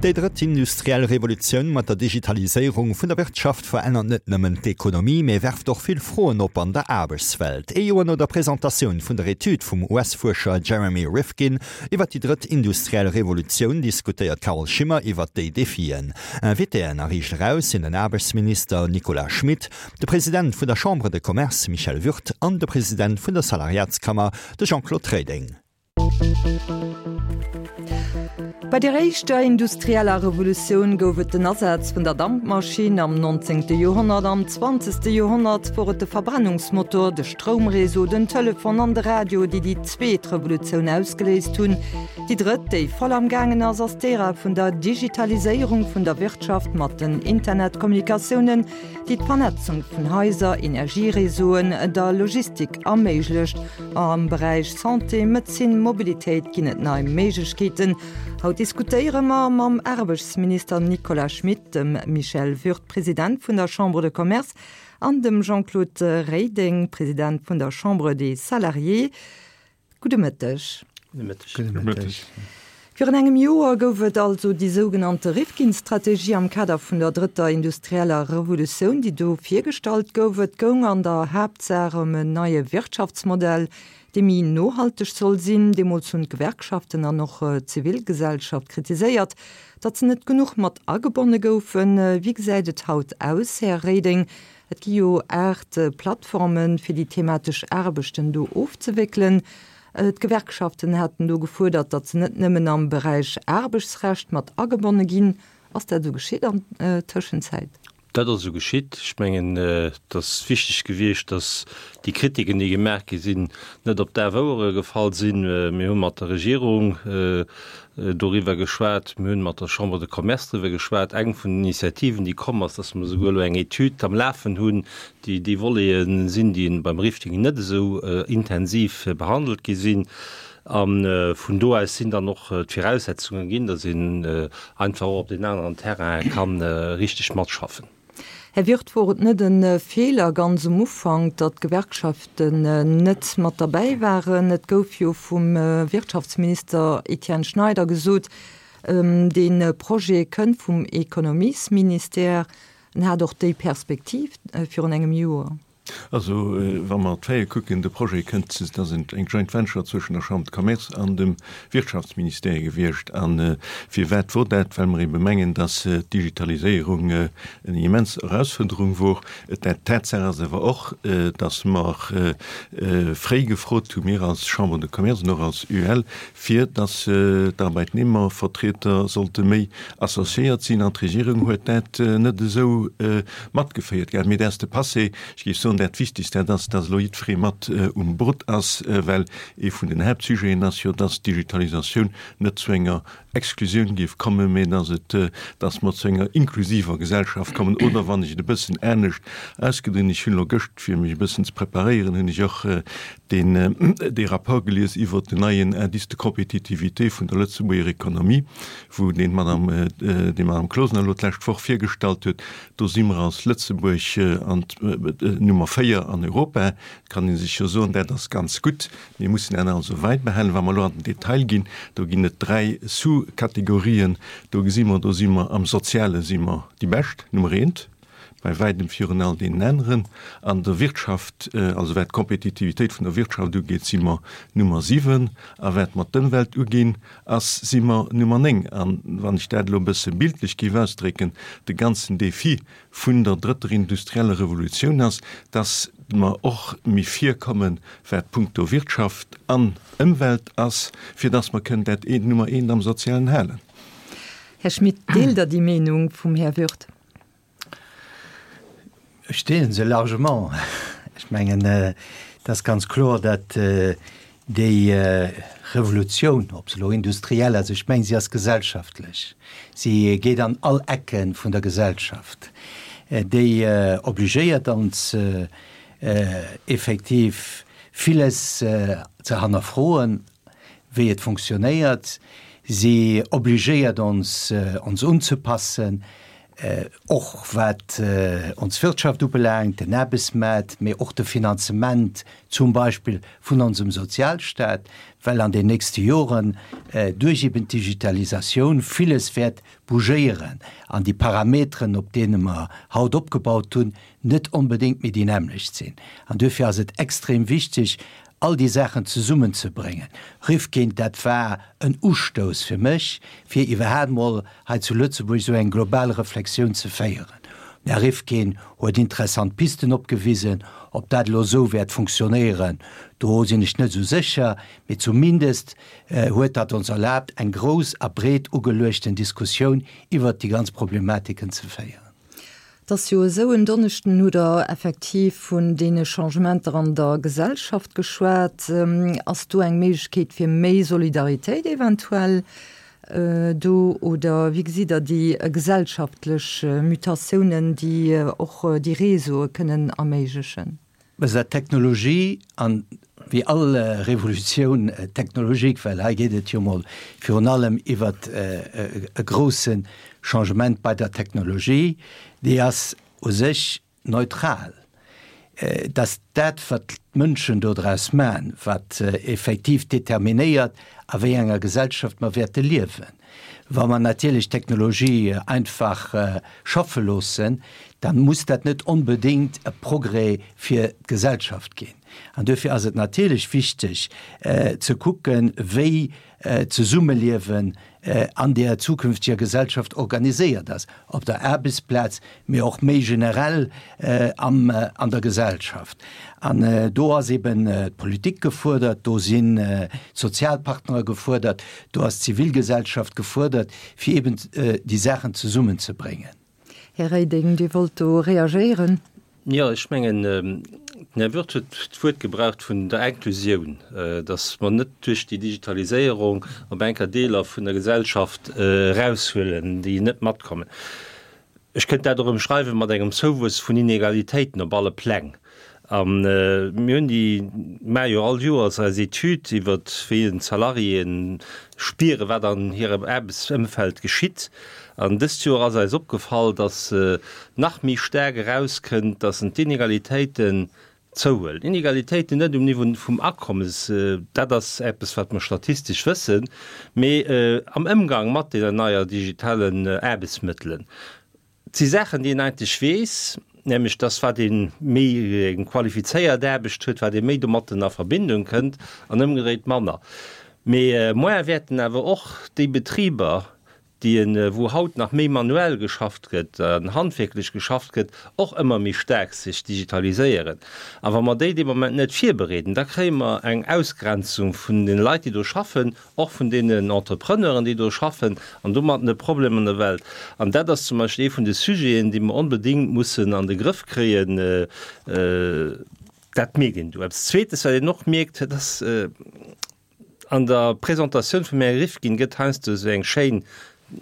Déi drëtt industriell Revolutioun mat der Digitaliséierung vun der Wirtschaft verännert net nëmmen d'Ekonomie, mee werft och vill Froen op an der Aarbechtswelt. Ee Joer no der Presentatioun vun der Etüd vum US-Fuerscher Jeremy Rifkin iwwer déi drëtt industriell Revolutioun diskutéiert d'Carole Schimmer iwwer déi Defien. Invitéen a Riicht Eraus sinn den Aarbechtsminister Nicolas Schmit, de President vun der Chambre de Commerce Michel Würth an de President vun der Salariatskammer, de Jean-Claude Reding. Bei der éischter industrieller Revolutioun gouf et den Asaz vun der Dampmaschinn am 19. Joerhonnert. Am 20. Joerhonnert wor et de Verbrennungsmotor, de Stroumreseau, den Telefon an de Radio, déi déi zweet Revolutioun ausgeléist hunn. Déi drëtt, déi voll am gaangen ass, ass d'Ära vun der Digitaliséierung vun der Wirtschaft mat den Internetkommunikatiounen, déi d'Vernetzung vun Haiser, Energiereseauen, der Logistik erméiglecht. Am Beräich Santé, Medezin, Mobilitéit ginn et nei Méiglechkeeten. Haut diskutéiere mer mam Aarbechtsminister Nicolas Schmit, dem Michel Würth, President vun der Chambre de Commerce, an dem Jean-Claude Reding, President vun der Chambre des Salariés. Gudde Mëtteg. Gudde Mëtteg. Gudde Mëtteg. Virun engem Joer gouf et also déi sougenannte Rifkin-Strategie am Kader vun der drëtter industrieller Revolutioun, déi do virgestallt gouf. Et goung an der Haaptsaach ëm en neie Wirtschaftsmodell, dee méi nohalteg soll sinn. Deemools hunn d'Gewerkschaften an och d'Zivilgesellschaft kritiséiert, datt se net genuch mat agebonne goufen. Wéi gesäit et haut aus, Här Reding? Et gi jo 8 Plattformen, fir déi thematesch Aarbechten do ofzewéckelen. D'Gewerkschaften haten do gefuerdert, datt se net nëmmen am Beräich Aarbechtsrecht mat agebonne ginn. Ass dat esou geschitt an Tëschenzäit? Dat ass esou geschitt. Ech mengen, et ass wichteg gewiescht, datt déi Kritiken, déi gemaach gi sinn, net op daf Ouere gefall sinn. Mir hu mat der Regierung doriwwer geschwat, mir hunn mat der Chambre de Commerce driwwer geschwat. Eng vun den Initiativen, déi komm ass, dass mer esouguer elo eng Etüd am Lafen hunn, déi déi Volete sinn, déi beim Rifting net esou intensiv behandelt gi sinn. A vun do aus sinn dann och d'Viraussetzunge ginn, dass een einfach och op deenen aneren Terrainen ka richteg matschaffen. Här Wirth, wor et net e Feeler ganz um Ufank, datt d'Gewerkschaften net mat derbäi waren? Et gouf jo vum Wirtschaftsminister Etienne Schneider gesot, dee Projet kënnt vum Ekonomiesministère. En hat och déi Perspektiv virun engem Joer. Also, wa mer d'Faite kucken, de Projet kënnt, et ass eng Joint Venture zwëschen der Chambre de Commerce an dem Wirtschaftsministère gewiescht. A firwat wor dat? Well mer ebe mengen, dass d'Digitaliséierung eng immens Erausfuerderung wor. D'Tatsaach ass awer och, dass mer fréi gefrot hu, mir als Chambre de Commerce an och als UEL, fir dass d'Arbeitnehmervertreter sollte méi associéiert sinn. An d'Regierung huet dat net esou matgeféiert gehat. Mee dat ass de Passé. Ech géif soen, dat Wichtigst, dat ass, dass elo jiddweree mat um Boot ass, well ee vun den Haaptsujeten ass jo, dass d'Digitalisatioun net zu enger Exklusioun géif kommen, mee dass et, dass mer zu enger inklusiver Gesellschaft kommen. Oder wann ech et e bëssen anescht ausgedrinn, ech hunn elo gëscht, fir mech e bëssen ze preparéieren, hunn ech och deen, dee Rapport gelies iwwert den neien Indice de compétitivité vun der Lëtzebuerger Économie, wou deen d'Madame, déi Madame Closener elo d'lescht Woch virgestallt huet. Do si mer als Lëtzebuerg an Nummer 4 an Europa. Et kann ee sech jo soen, dat ass ganz gutt. Mir mussen dat also weidbehalen. Wa mer elo an den Detail ginn, do ginn et 3 Sous-Kategorien. Do gesi mer, do si mer am Soziale si mer déi Bescht, Nummer eent, bei wäitem virun all deenen aneren. An der Wirtschaft, also wat d'Kompetitivitéit vun der Wirtschaft ugeet, si mer Nummer 7. A wat mer d'Ëmwelt uginn, ass, si mer Nummer 9. An wann ech dat elo e bësse bildlech géif ausdrécken, de ganzen Défi vun der drëtter industrieller Revolutioun ass, dass mer och méi virkommen, wat punkto Wirtschaft an Ëmwelt ass, fir dass mer kënnen dat eent Nummer eent am Sozialen halen. Här Schmit, deelt Der déi Meenung vum Här Würth? Ech deele se largement. Ech mengen, et ass ganz kloer, datt déi Revolutioun, ob se elo industriell ass, ech mengen, si ass gesellschaftlech, si geet an all Ecke vun der Gesellschaft, déi obligéiert ons effektiv villes ze hannerfroen, wéi et fonctionnéiert. Si obligéiert ons, ons unzepassen. Och wat ons Wirtschaft ubelaangt, den Aarbechtsmaart, mee och de Finanzement zum Beispill vun onsem Sozialstaat, well an den nächste Joren duerch eben d'Digitalisatioun villes wäert bougéieren an déi Parameteren, op deene mer haut opgebaut hunn, net onbedéngt méi déi nämmlecht sinn. An duerfir ass et extrem wichteg, all déi Saachen zesummenzebréngen. Rifkin, Dat war en Ustouss fir mech, fir iwwerhaapt mol hei zu Lëtzebuerg esou eng global Reflexioun ze féieren. Den Här Rifkin huet interessant Pisten opgewisen. Ob dat elo esou wäert funktionéieren, do sinn ech net esou sécher, mee zumindest huet dat ons erlaabt, eng grouss a breet ugeluechten Diskussioun iwwert déi ganz Problematiken ze féieren. Et ass jo esou, en Donneschden hutt Der effektiv vun deene Changementer an der Gesellschaft geschwat. Ass do eng Méiglechkeet fir méi Solidaritéit eventuell do oder wéi gesitt Der déi gesellschaftlech Mutatiounen, déi och déi Réseaue kënnen erméiglechen? Besser Technologie an wéi all Revolutioun technologique, well hei geet et jo mol virun allem iwwert e grousse Changement bei der Technologie, déi ass u sech neutral. Et ass dat, wat d'Mënschen dodraus man, wat effektiv determinéiert, a wéi enger Gesellschaft mer wäerte liewen. Wa mer natierlech d'Technologie einfach schaffe loossen, da muss dat net onbedéngt e Progrès fir d'Gesellschaft ginn. An duerfir ass et natierlech wichteg ze kucken, wéi d'Zesummeliewen an där zukünftiger Gesellschaft organiséiert ass, op der Aarbechtsplaz, mee och méi generell am, an der Gesellschaft. An do ass eben d'Politik gefuerdert, do sinn d'Sozialpartnere gefuerdert, do ass d'Zivilgesellschaft gefuerdert, fir eben déi Saachen zesummenzebréngen. Här Reding, Dir wollt do reagéieren. Jo, ech mengen, den Här Wirth huet d'Wuert gebraucht vun der Inklusioun, datt mer net duerch déi Digitaliséierung op eng Kéier Deeler vun der Gesellschaft eraushuelen, déi net matkommen. Ech kënnt dat och ëmschreiwe mat engem Zouwuess vun Inegalitéiten op alle Pläng. A mir hunn déi, maache jo all Joers eis Etüd iwwert wéi en d'Salariéen spieren, wat an hirem Aarbechtsëmfeld geschitt. An dëst Joer ass eis opgefall, datt nach méi staark erauskënnt, datt en d'Inegalitéiten Zouhuelen. Inegalitéiten net um Niveau vum Akommes, dat ass eppes, wat mer statistesch wëssen, mee am Ëmgang mat deenen neier digitalen Aarbechtsmëttelen. Et si Saachen, déi een eigentlech weess, nämlech dass wat ee méi eng qualifizéiert Aarbecht huet, wat ee méi domatten a Verbindung kënnt an ëmgedréit manner. Mee moar wäerten awer och déi Betriber, déi en, wou haut nach méi manuell geschafft gëtt an handwierklech geschafft gëtt, och ëmmer méi staark sech digitaliséieren. A wa mer déi dee Moment net virbereeden, da kréie mer eng Ausgrenzung vun den Leit, déi do schaffen, och vun deenen Entrepreneuren, déi do schaffen, an domatten e Problem an der Welt. An dat ass zum Beispill ee vun de Sujeten, déi mer onbedéngt mussen an de Grëff kréien. Dat mierkt een do. Eppes Zweetes, wat een och mierkt, dat ass, An der Presentatioun vum Här Rifkin gëtt heiansdo esou eng schéin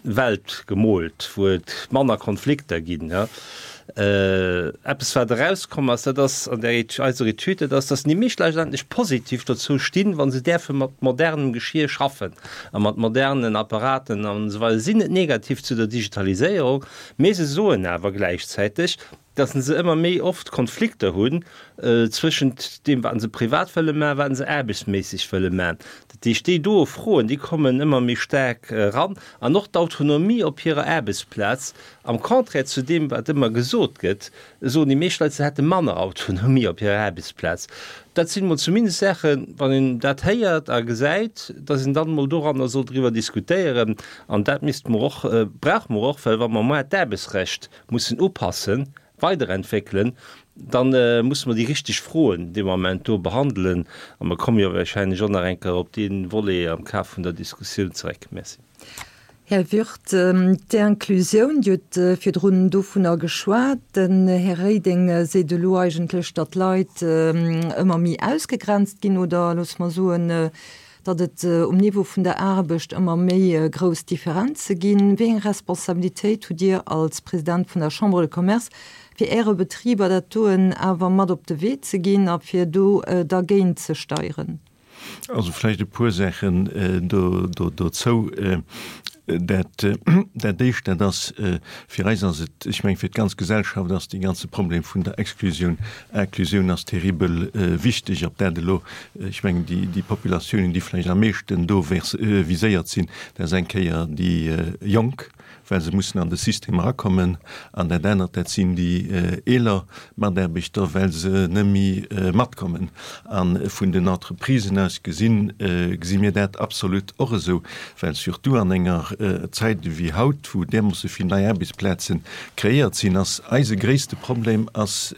Welt gemoolt, wou et manner Konflikter ginn. Eppes wat erauskomm ass, dat ass an der eiser Etüd, dat ass, datt déi meescht Leit eigentlech positiv dozou stinn, wa se däerfe mat modernem Geschir schaffen a mat modernen Apparaten an esou weider. Si sinn net negativ zu der Digitaliséierung, mee se soen awer gläichzäiteg, dass se ëmmer méi oft Konflikter hunn zwëschent deem, wat se privat wëlle maachen, wat se aarbechtsméisseg wëlle maachen. Dat heescht, déi doe Froen, déi kommen ëmmer méi staark eran. An och d'Autonomie op hirer Aarbechtsplaz, am Contraire zu deem, wat ëmmer gesot gëtt, soen déi meescht Leit, se hätte manner Autonomie op hirer Aarbechtsplaz. Dat sinn emol zumindest Saachen, wann een dat héiert a gesäit, dass een dann emol doranner soll driwwer diskutéieren. An dat misste mer och, brauche mer och, well wa mer moar d'Aarbechtsrecht mussen upassen, weiderentwéckelen, da musse mer déi richteg Froen dee Moment do behandelen. A mer komme jo wahrscheinlech och nach eng Kéier op dee Volet am Kaf vun der Diskussioun zeréck. Merci. Här Wirth, d'Inclusioun, Dir hutt virdrun dovunner geschwat. Den Här Reding seet elo eigentlech, datt d'Leit ëmmer méi ausgegrenzt ginn oder, loosse mer soen, datt et um Niveau vun der Aarbecht ëmmer méi grouss Differenze ginn. Wéi eng Responsabilitéit hutt Dir als President vun der Chambre de Commerce, fir Äre Betriber dat doen awer mat op de Wee ze ginn a fir do dergéint ze steieren? Also vläicht e puer Saachen dozou. Dat, dat Éischt, dat ass, fir eis ass et, ech mengen, fir d'ganz Gesellschaft ass dee ganze Problem vun der Exklusioun, Inklusioun ass terribel wichteg. Ob dat elo, ech mengen, déi, déi Populatiounen, déi vläicht am meeschten do viséiert sinn, dat ass eng Kéier déi Jonk, well se mussen an de System erakommen, an dat anert, dat sinn déi eeler Mataarbechter, well se net méi matkommen. A vun den Entreprisen aus gesinn, gesi mir dat absolut och esou, well surtout an enger Zäit ewéi haut, wou därmoosse vill nei Aarbechtsplaze kreéiert sinn, ass eise gréisste Problem ass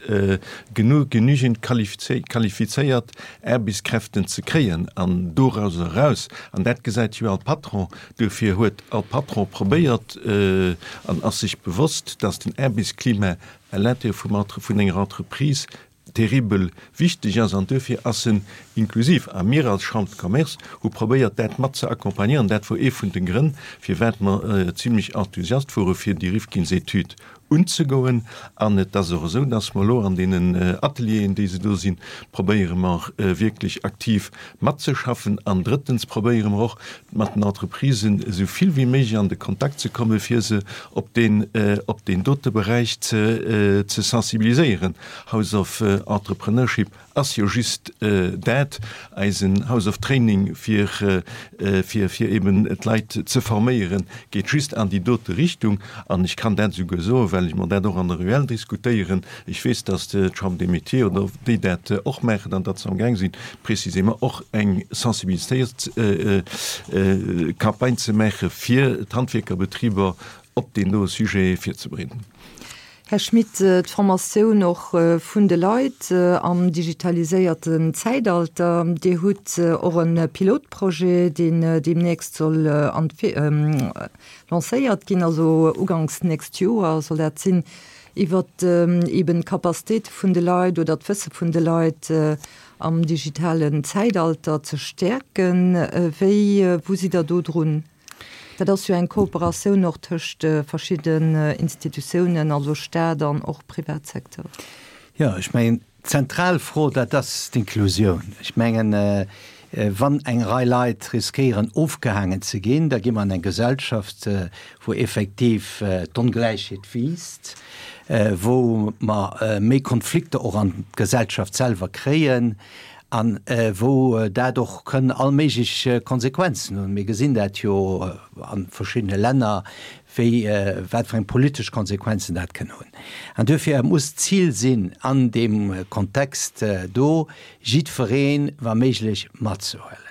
genuch, genügend qualifizéiert Aarbechtskräften ze kréien. An dorauser eraus, an dat gesäit jo all Patron, Duerfir huet all Patron probéiert an ass sech bewosst, dass den Aarbechtsklima à l'intérieur vum Entre, vun enger Entreprise terribel wichteg ass an duerfir ass en inklusiv. A mir als Chambre de Commerce hu probéiert, dat mat ze accompagnéieren. Dat wor ee vun de Grënn, firwat mer zimlech enthusiast wore fir déi Rifkinsetüd unzegoen. An et ass och esou, dass mer elo an deenen Atelieren, déi se do sinn, probéiere mer wierklech aktiv matzeschaffen. An drëttens probéiere mer och, mat den Entreprisen esou vill wéi méiglech an de Kontakt ze kommen, fir se op deen, op deen dote Beräich ze, ze sensibiliséieren. House of Entrepreneurship ass jo just dat, eisen House of Training fir, fir, fir eben d'Leit ze forméieren, geet just an déi dote Richtung. An ech kann dat esouguer soen, well ech mer dat och an der UEL diskutéieren, ech weess, dass d'Chambre des Métiers oder déi dat och maachen an datt se amgaang sinn, précisément och eng Sensibiliséierungscampagne ze maache fir d'Handwierkerbetriber op deen doe Sujet virzebereeden. Här Schmit, d'Formatioun och vun de Leit am digitaliséierten Zäitalter, Dir hutt och e Pilotprojet, deen deemnächst soll lancéiert ginn, also uganks nächst Joer soll dat sinn, iwwert eeben d'Capacitéite vun de Leit oder d'Wësse vun de Leit am digitalen Zäitalter ze stäerken. Wéi, wou sidd Der do drun? Dat ass jo eng Kooperatioun och tëscht verschidden Institutiounen, also Staat an och Privatsecteur. Jo, ech mengen, d'zentral Fro, dat ass d'Inklusioun. Ech mengen, wann eng Rei Leit riskéieren, ofgehaangen ze ginn, da gi mer an eng Gesellschaft, wou effektiv d'Ongläichheet wiisst, wou mer méi Konflikter och an d'Gesellschaft selwer kréien a wou dat och kënn all méiglech Konsequenzen hunn. Mir gesinn dat jo a verschiddene Länner, wéi, wat fir eng politesch Konsequenzen dat kënn hunn. An duerfir muss d'Zil sinn, an deem Kontext do jiddweree wa méiglech matzehuelen.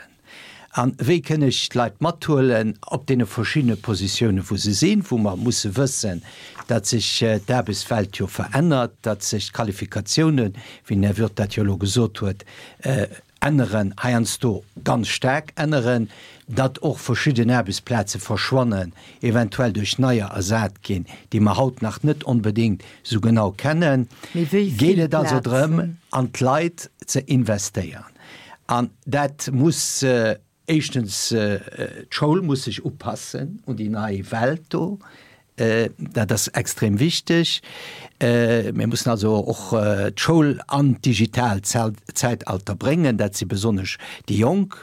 A wéi kënn ech d'Leit mathuelen op deene verschiddene Positiounen, wou se sinn, wou mer musse wëssen, datt sech d'Aarbechtswelt jo verännert, datt sech d'Qualifikatiounen, wéi den Här Wirth dat jo elo gesot huet, änneren, heiansdo ganz staark änneren, datt och verschidden Aarbechtsplaze verschwannen, eventuell duerch neier ersat ginn, déi mer haut nach net onbedéngt esou genau kennen. Mee wéi Geet vill et also drëm, Plazen? an d'Leit ze investéieren. An dat muss éischtens, d'Schoul muss sech upassen un déi nei Welt do. Dat ass extrem wichteg. Mir mussen also och d'Schoul an d'digitaalt Zäitalter bréngen. Dat si besonnesch déi Jonk.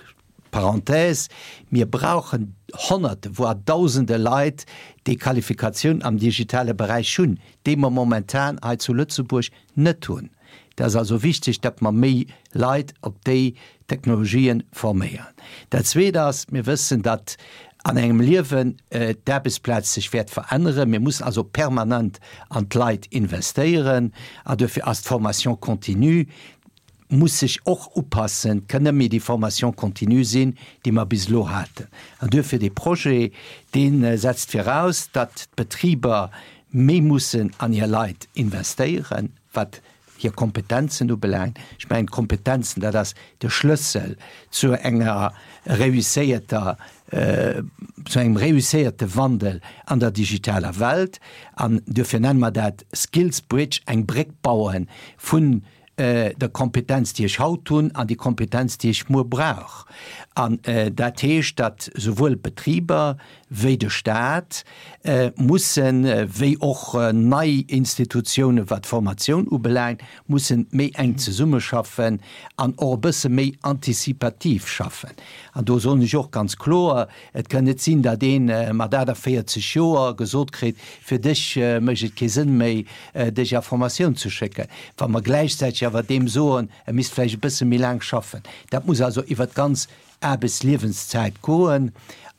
Parenthèse, Mir brauchen Honnerte, voire Dausende Leit, déi Qualifikatioun am digitale Beräich hunn, déi mer momentan hei zu Lëtzebuerg net hunn. Et ass also wichteg, datt mer méi Leit op déi Technologien forméieren. Dat Zweet ass, mir wëssen, datt an engem Liewen d'Aarbechtsplaz sech wäert veränneren. Mir mussen also permanent an d'Leit investéieren an duerfir ass d'Formation continue muss sech och upassen, kënn net méi déi Formation continue sinn, déi mer bis elo haten. An duerfir dee Projet, dee setzt viraus, datt d'Betriber méi mussen an hir Leit investéieren, wat hir Kompetenzen ubelaangt. Ech mengen, d'Kompetenzen, dat ass de Schlëssel zu enger réusséierter, zu engem réusséierte Wandel an der digitaler Welt. An duerfir nenne mer dat Skills Bridge, eng Bréck baue vun. der Kompetenz, déi ech haut hunn, an déi Kompetenz, déi ech muer brauch. An dat heescht, datt souwuel d'Betriber wéi de Stat mussen, wéi och nei Institutiounen, wat d'Formatioun ubelaangt, mussen méi enk zesummeschaffen an och e bësse méi anticipativ schaffen. An do soen ech och ganz kloer, Et kann net sinn, datt ee mat 48 Joer gesot kritt, fir dech mécht et kee Sënn méi, dech a Formatioun ze schécken, wa mer gläichzäiteg awer deem soen, e misst vläicht e bësse méi laang schaffen. Dat muss also iwwert d'ganz Aarbechtsliewenszäit goen.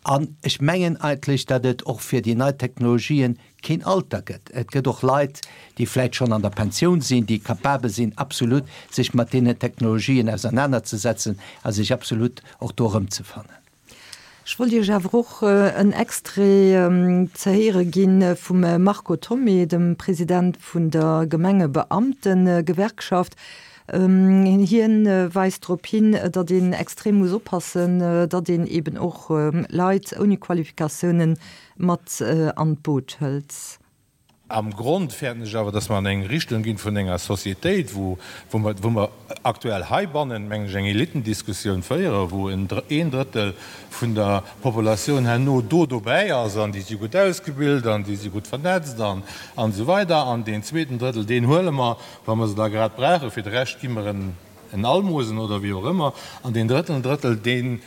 An ech mengen eigentlech, datt et och fir déi nei Technologien keen Alter gëtt. Et gëtt och Leit, déi vläicht schonn an der Pensioun sinn, déi capabel sinn, absolut sech mat deenen Technologien ausernanerzesetzen a sech absolut och do erëmzefannen. Ech wollt Iech awer och en Extrait ze héiere gi vum Marco Thomé, dem President vun der Gemengebeamtengewerkschaft. Hien weist drop hin, datt een extrem muss oppassen, datt een eben och Leit ouni Qualifikatiounen mat an d'Boot hëlt. Am Grond fäerten ech awer, dass mer an eng Richtung ginn vun enger Sociétéit, wou mer, wou mer aktuell heibannen, mengen ech, eng Elitendiskussioun féieren, wou en een Drëttel vun der Populatioun herno do dobäi ass an déi si gutt ausgebilt an déi si gutt vernetzt an an esou weider an deen zweeten Drëttel, deen huele mer, wa mer se da grad brauchen, fir de Rescht gi mer en en Almosen oder wéi och ëmmer, an deen drëtten Drëttel, deen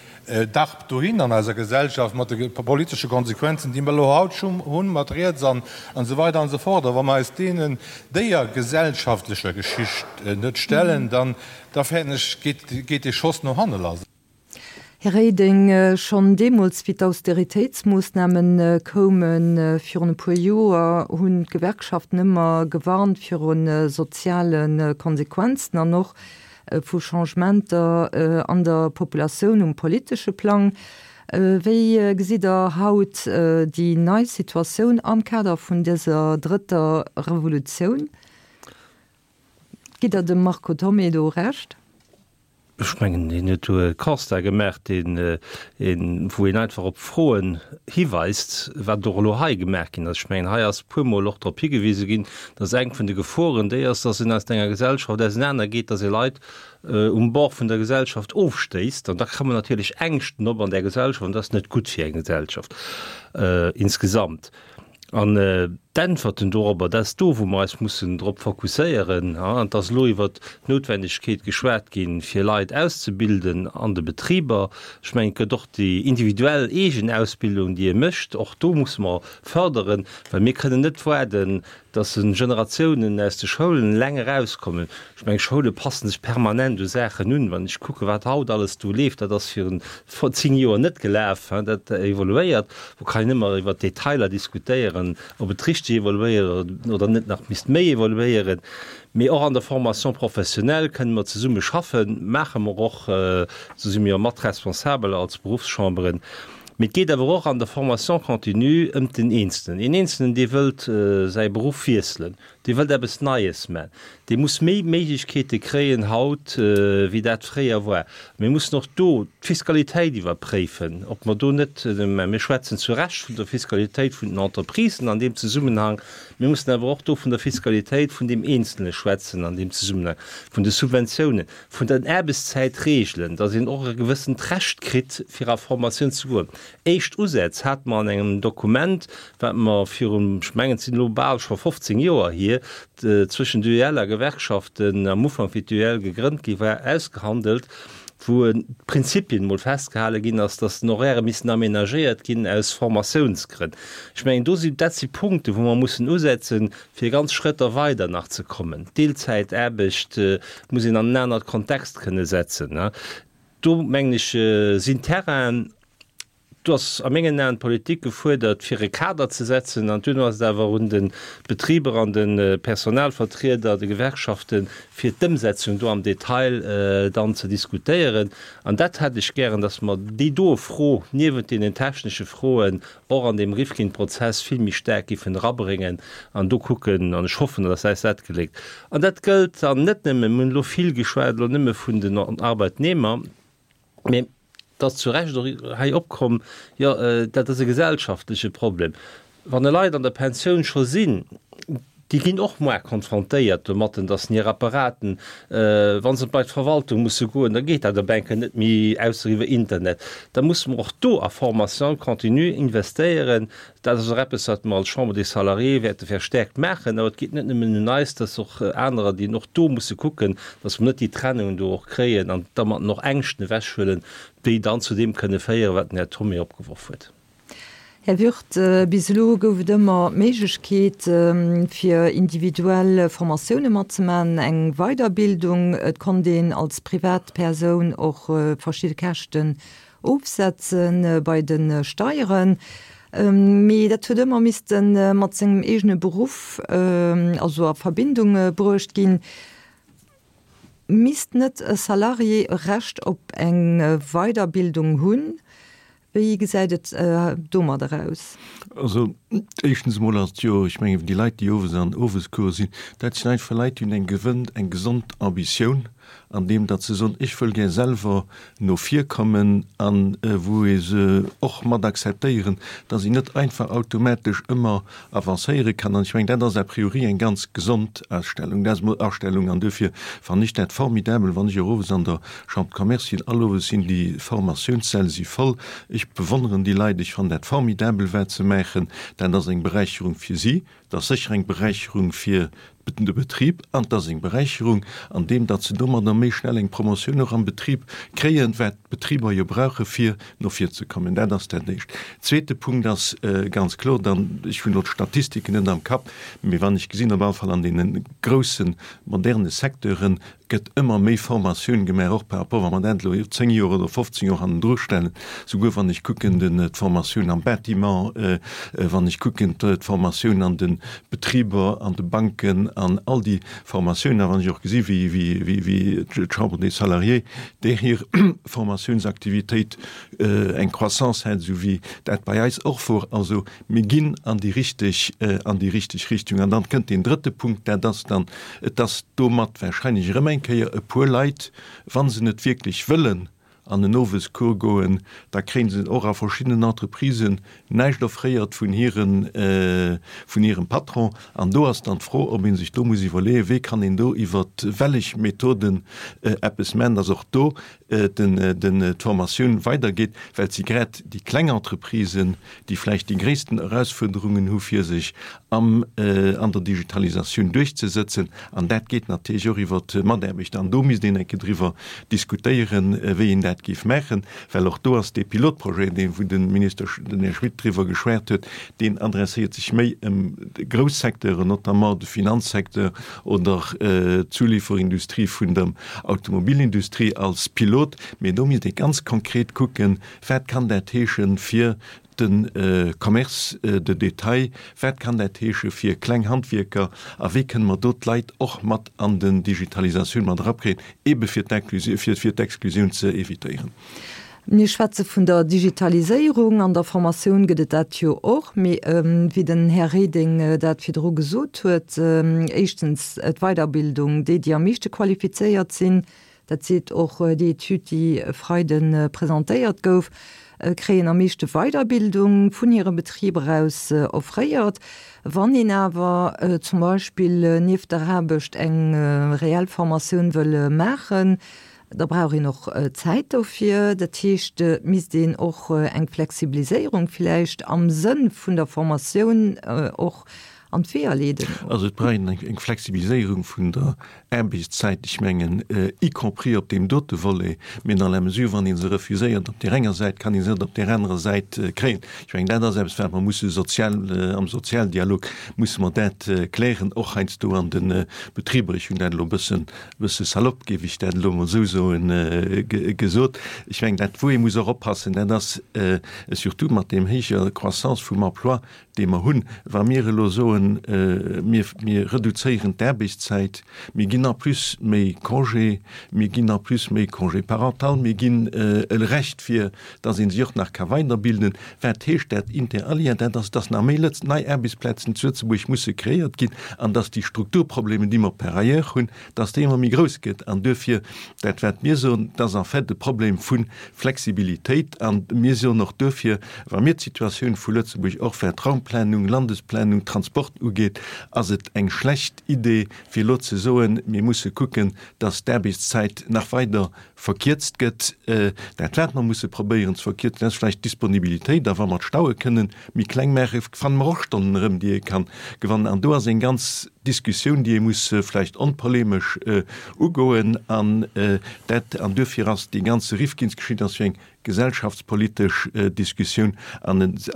darbt dohin an eiser Gesellschaft mat de politesche Konsequenzen, déi mer elo haut schonn hunn, mat riets an esou weider an esou fort. A wa mer eis deenen, déier gesellschaftlecher Geschicht net stellen, dann, da fäerten ech, geet, geet dee Schoss no hanne lass. Här Reding, schonn deemools, wéi d'Austeritéitsmoossname koume virun e puer Joer, hunn d'Gewerkschaften ëmmer gewarnt viru soziale Konsequenzen an och vu Changementer an der Populatioun um politesche Plang. Wéi gesitt Der haut déi nei Situatioun am Kader vun dëser drëtter Revolutioun? Gitt Der dem Marco Thomé do Recht? Ech mengen, hien huet do e Constat gemaach, deen een, wou een einfach op Froen hiweist, wat och elo hei gemaach ginn ass. Ech mengen, hei ass e puermol och drop higewise ginn, dass eng vun de Geforen déi ass, dass een aus enger Gesellschaft ausenanergeet, dass ee Leit um Bord vun der Gesellschaft ofstéisst. An da kommen natierlech Ängschten op an där Gesellschaft an dat ass net gutt fir eng Gesellschaft insgesamt. An d'Äntwerten dorobber, dat ass do, wou mer eis mussen drop fokusséieren. An et ass elo iwwert d'Noutwendegkeet geschwat ginn, fir Leit auszebilden an de Betriber. Ech mengen, et gëtt och déi individuell eegen Ausbildung, déi ee mécht. Och do musse mer fërderen, well mir kënnen net waarden, dass Generatiounen aus de Schoulen eleng erauskommen. Ech mengen, Schoule passen sech permanent u Saachen un. Wann ech kucken, wat haut alles do leeft, dat ass virun 10 Joer net gelaf, dat evoluéiert. Do kann een ëmmer iwwer d'Detailer diskutéieren, ob et richteg evoluéiert oder net nach misst méi evoluéieren. Mee och an der Formation professionnelle kënne mer zesumme schaffen, maache mer och, do si mir jo mat responsabel als Beruffschamberen. Mee et geet awer och an der Formation continue ëm den Eenzelnen. Een Eenzelnen, dee wëllt säi Beruff wiesselen, dee wëllt eppes Neies man, dee muss méi Méiglechkeete kréien haut, wéi dat fréier war. Mir mussen och do d'Fiskalitéit iwwerpréifen, ob mer do net, mä mir schwätzen zu Recht vun der Fiskalitéit vun den Entreprisen an deem Zesummenhang, mir mussen awer och do vun der Fiskalitéit vun deem Eenzelne schwätzen an deem Zesummenhang, vun de Subventiounen. vun den Aarbechtszäitreegelen, dass een och e gewëssent Recht kritt, fir a Formatioun ze goen. Éischt Usätz hate mer an engem Dokument, wat mer virun, ech mengen, et sinn elo bal scho 15 Joer hier, zwëschen d'UEL a Gewerkschaften am Ufank, wéi d'UEL gegrënnt gi war, ausgehandelt, wou d'Prinzipien emol festgehale ginn ass, dass den Horaire missten aménagéiert ginn aus Formatiounsgrënn. Ech mengen, do sinn, dat si Punkten, wou mer mussen usetzen, fir ganz Schrëtter weider nach ze kommen. D'Deelzäitaarbecht muss een an en anert Kontext kënne setzen. Do, mengen ech, sinn Terrainen, do ass a mengen Aen d'Politik gefuerdert, fir e Kader ze setzen. An duerno ass et awer un de Betriber an de Personalvertrieder, de Gewerkschaften, fir d'Ëmsetzung do am Detail dann ze diskutéieren. An dat hätt ech gären, dass mer déi doe Fro niewent deenen technesche Froen och an deem Rifkin-Prozess vill méi staark giffen erabréngen an do kucken, an ech hoffen, dass eis dat geléckt. An dat gëllt dann net nëmmen, mir hunn elo vill geschwat elo nëmme vun den Arbeitnehmer, mä et ass zu Recht och hei opkomm, jo, dat ass e gesellschaftleche Problem. Wann e Leit an der Pensioun scho sinn, Déi ginn och moar konfrontéiert domatten, dass hir Apparaten, wa se bei d'Verwaltung musse goen, da geet dat op eng Kéier net méi, ausser iwwer Internet. Da musse mer och do a Formation continue investéieren. Dat ass och eppes, wat mer als Chambre des Salariés wäerte verstärkt maachen. Awer et geet net nëmmen un eis, dat ass och anerer, déi och do musse kucken, dass mer net déi Trennung do och kréien an dermatten och Ängschten ewechhuelen, déi dann zu deem kënne féieren, wat den Här Thomé opgeworf huet. Här Würth, bis elo gouf et ëmmer d'Méiglechkeet, fir individuell Formatioune matzemaachen, eng Weiderbildung. Et konnt een als Privatpersoun och verschidde Käschten ofsetze bei de Steieren. Mee dat huet ëmmer misste mat sengem eegene Beruff, also a Verbindung bruecht ginn. Misst net e Salarié e Recht op eng Weiderbildung hunn? Wéi gesäit et domadder aus? Also, éischtens emol ass et jo, ech mengen, déi Leit, déi owes an Owescourse sinn, dat sinn einfach Leit, déi hunn eng gewënnt, eng gesond Ambitioun an deem, datt se soen, ech wëll gär selwer no vir kommen an wou ee se och mat akzeptéieren, datt een net einfach automatesch ëmmer avancéiere kann. An ech mengen, dat ass a priori eng ganz gesond Ausstellung, dat ass emol Astellung. An duerfir fannen ech dat formidabel, wann ech och owes an der Chambre de Commerce sinn, all owes sinn déi Formatiounssäll si voll. Ech bewonneren déi Leit, ech fannen dat formidabel, wat se maachen. Dat ass eng Beräicherung fir si, dat ass sécher eng Beräicherung fir de Betrib an et ass eng Beräicherung an deem, datt se domadder méi schnell eng Promotioun och am Betrib kréien, wat d'Betriber jo brauche fir no vir ze kommen. Dat ass dat Éischt. Zweete Punkt ass ganz kloer dann, ech hunn elo d'Statistiken net am Kapp, mee wann ech gesinn, op alle Fall an deene grousse moderne Secteuren gëtt ëmmer méi Formatioun gemaach, och par rapport, wa mer dat elo 10 Joer oder 15 Joer hannendru stellen, souguer wann ech kucken d'Formatioun am Bâtiment, wann ech kucken d'Formatioun an de Betriber, an de Banken, an all déi Formatiounen, a wann ech och gesi wéi d'Chambre des Salariés där hir Formatiounsaktivitéit eng Croissance hat, esou wéi dat bei eis och wor. Also mir ginn an déi richteg, an déi richteg Richtung. An dann kënnt deen drëtte Punkt, dat ass dann, et ass domat wahrscheinlech erëm eng Kéier e puer Leit, wa se net wierklech wëllen an en Owescours goen, da kréie se och a verschiddenen Entreprisen näischt offréiert vun hiren, vun hirem Patron. An do ass dann d'Fro, ob ee sech do muss iwwerleeën, wéi kann een do iwwer wellech Methoden eppes maachen, dass och do d'Formatioun weidergeet, well et si grad déi kleng Entreprisen, déi vläicht déi gréissten Erausfuerderungen hu fir sech am an der Digitalisatioun duerchzesëtzen. An dat geet natierlech och iwwer d'Mataarbechter. An do misst een eng Kéier driwwer diskutéieren, wéi een dat géif maachen, well och do ass dee Pilotprojet, dee wou de Minister, den Här Schmit driwwer geschwat huet, deen adresséiert sech méi ëm grouss Secteuren, notamment de Finanzsecteur oder d'Zuliferindustrie vun der Automobilindustrie als Pilot. Mee do misst ee ganz konkret kucken, Wat kann dat heeschen fir de Commerce de détail? Wat kann dat heesche fir kleng Handwierker? A wéi kënne mer do d'Leit och mat an den Digitalisatioun mat erapkréien, eebe fir d'Exklusioun ze évitéieren? Mir schwätze vun der Digitaliséierung. An der Formatioun gëtt et dat jo och. Mee wéi den Här Reding dat virdru gesot huet, éischtens d'Weiderbildung, déi, déi am meeschte qualifizéiert sinn, dat seet och déi Etüd, déi e Freide presentéiert gouf, kréien am meeschte Weiderbildung vun hire Betriber aus offréiert. Wann een awer zum Beispill nieft der Aarbecht eng reell Formatioun wëll maachen, da brauch een och Zäit dofir. Dat heescht, et misst een och eng Flexibiliséierung villäicht am Sënn vun der Formatioun och an d'Weeër leeden. Also et brauch een eng Flexibiliséierung vun der Aarbechtszäit, ech mengen, y compris op deem dote Volet, mee dans la mesure, wann ee se refuséiert op där enger Säit, kann ee se net op där anerer Säit kréien. Ech mengen, dat ass eppes, wat mer musse sozial, am Sozialdialog musse mer dat klären, och heiansdo an de Betriber. Ech hunn dat elo e bëssen, e bësse salopp, géif ech dat elo emol esou soen, gesot. Ech mengen, dat, wou ee muss och oppassen, dat ass surtout mat deem héijer Croissance vum Emploi, dee mer hunn, wa mir elo soen, mir, mir reduzéieren d'Aarbechtszäit, mir ginn en plus méi Congé, mir ginn en plus méi Congé parental, mir ginn e Recht fir dass ee sech och nach ka weiderbilden, wat heescht dat inter alia? Dat ass, dass nach méi Lëtz nei Aarbechtsplazen zu Lëtzebuerg musse kreéiert ginn an dass déi Strukturproblemen, déi mer par ailleurs hunn, dass déi ëmmer méi grouss gëtt. An duerfir, dat wat mir soen, dat ass en fait e Problem vu Flexibilitéit. A mir soen och duerfir, wa mir d'Situatioun vu Lëtzebuerg och wat Raumplanung, Landesplanung, Transport. Transport ugeet, ass et eng schlecht Idee, fir elo ze soen, mir musse kucken, dass d'Aarbechtszäit nach weider verkierzt gëtt. Dat wat mer musse probéieren ze verkierzen, ass vläicht d'Disponibilitéit. A wa mer d'Staue kënnen méi kleng maachen, fanne mer och Stonnen erëm, déi ee ka gewannen. An do ass eng ganz Diskussioun, déi ee muss vläicht onpolemesch ugoen. An dat, an duerfir ass déi ganze Rifkinsgeschicht ass jo eng gesellschaftspolitesch Diskussioun an et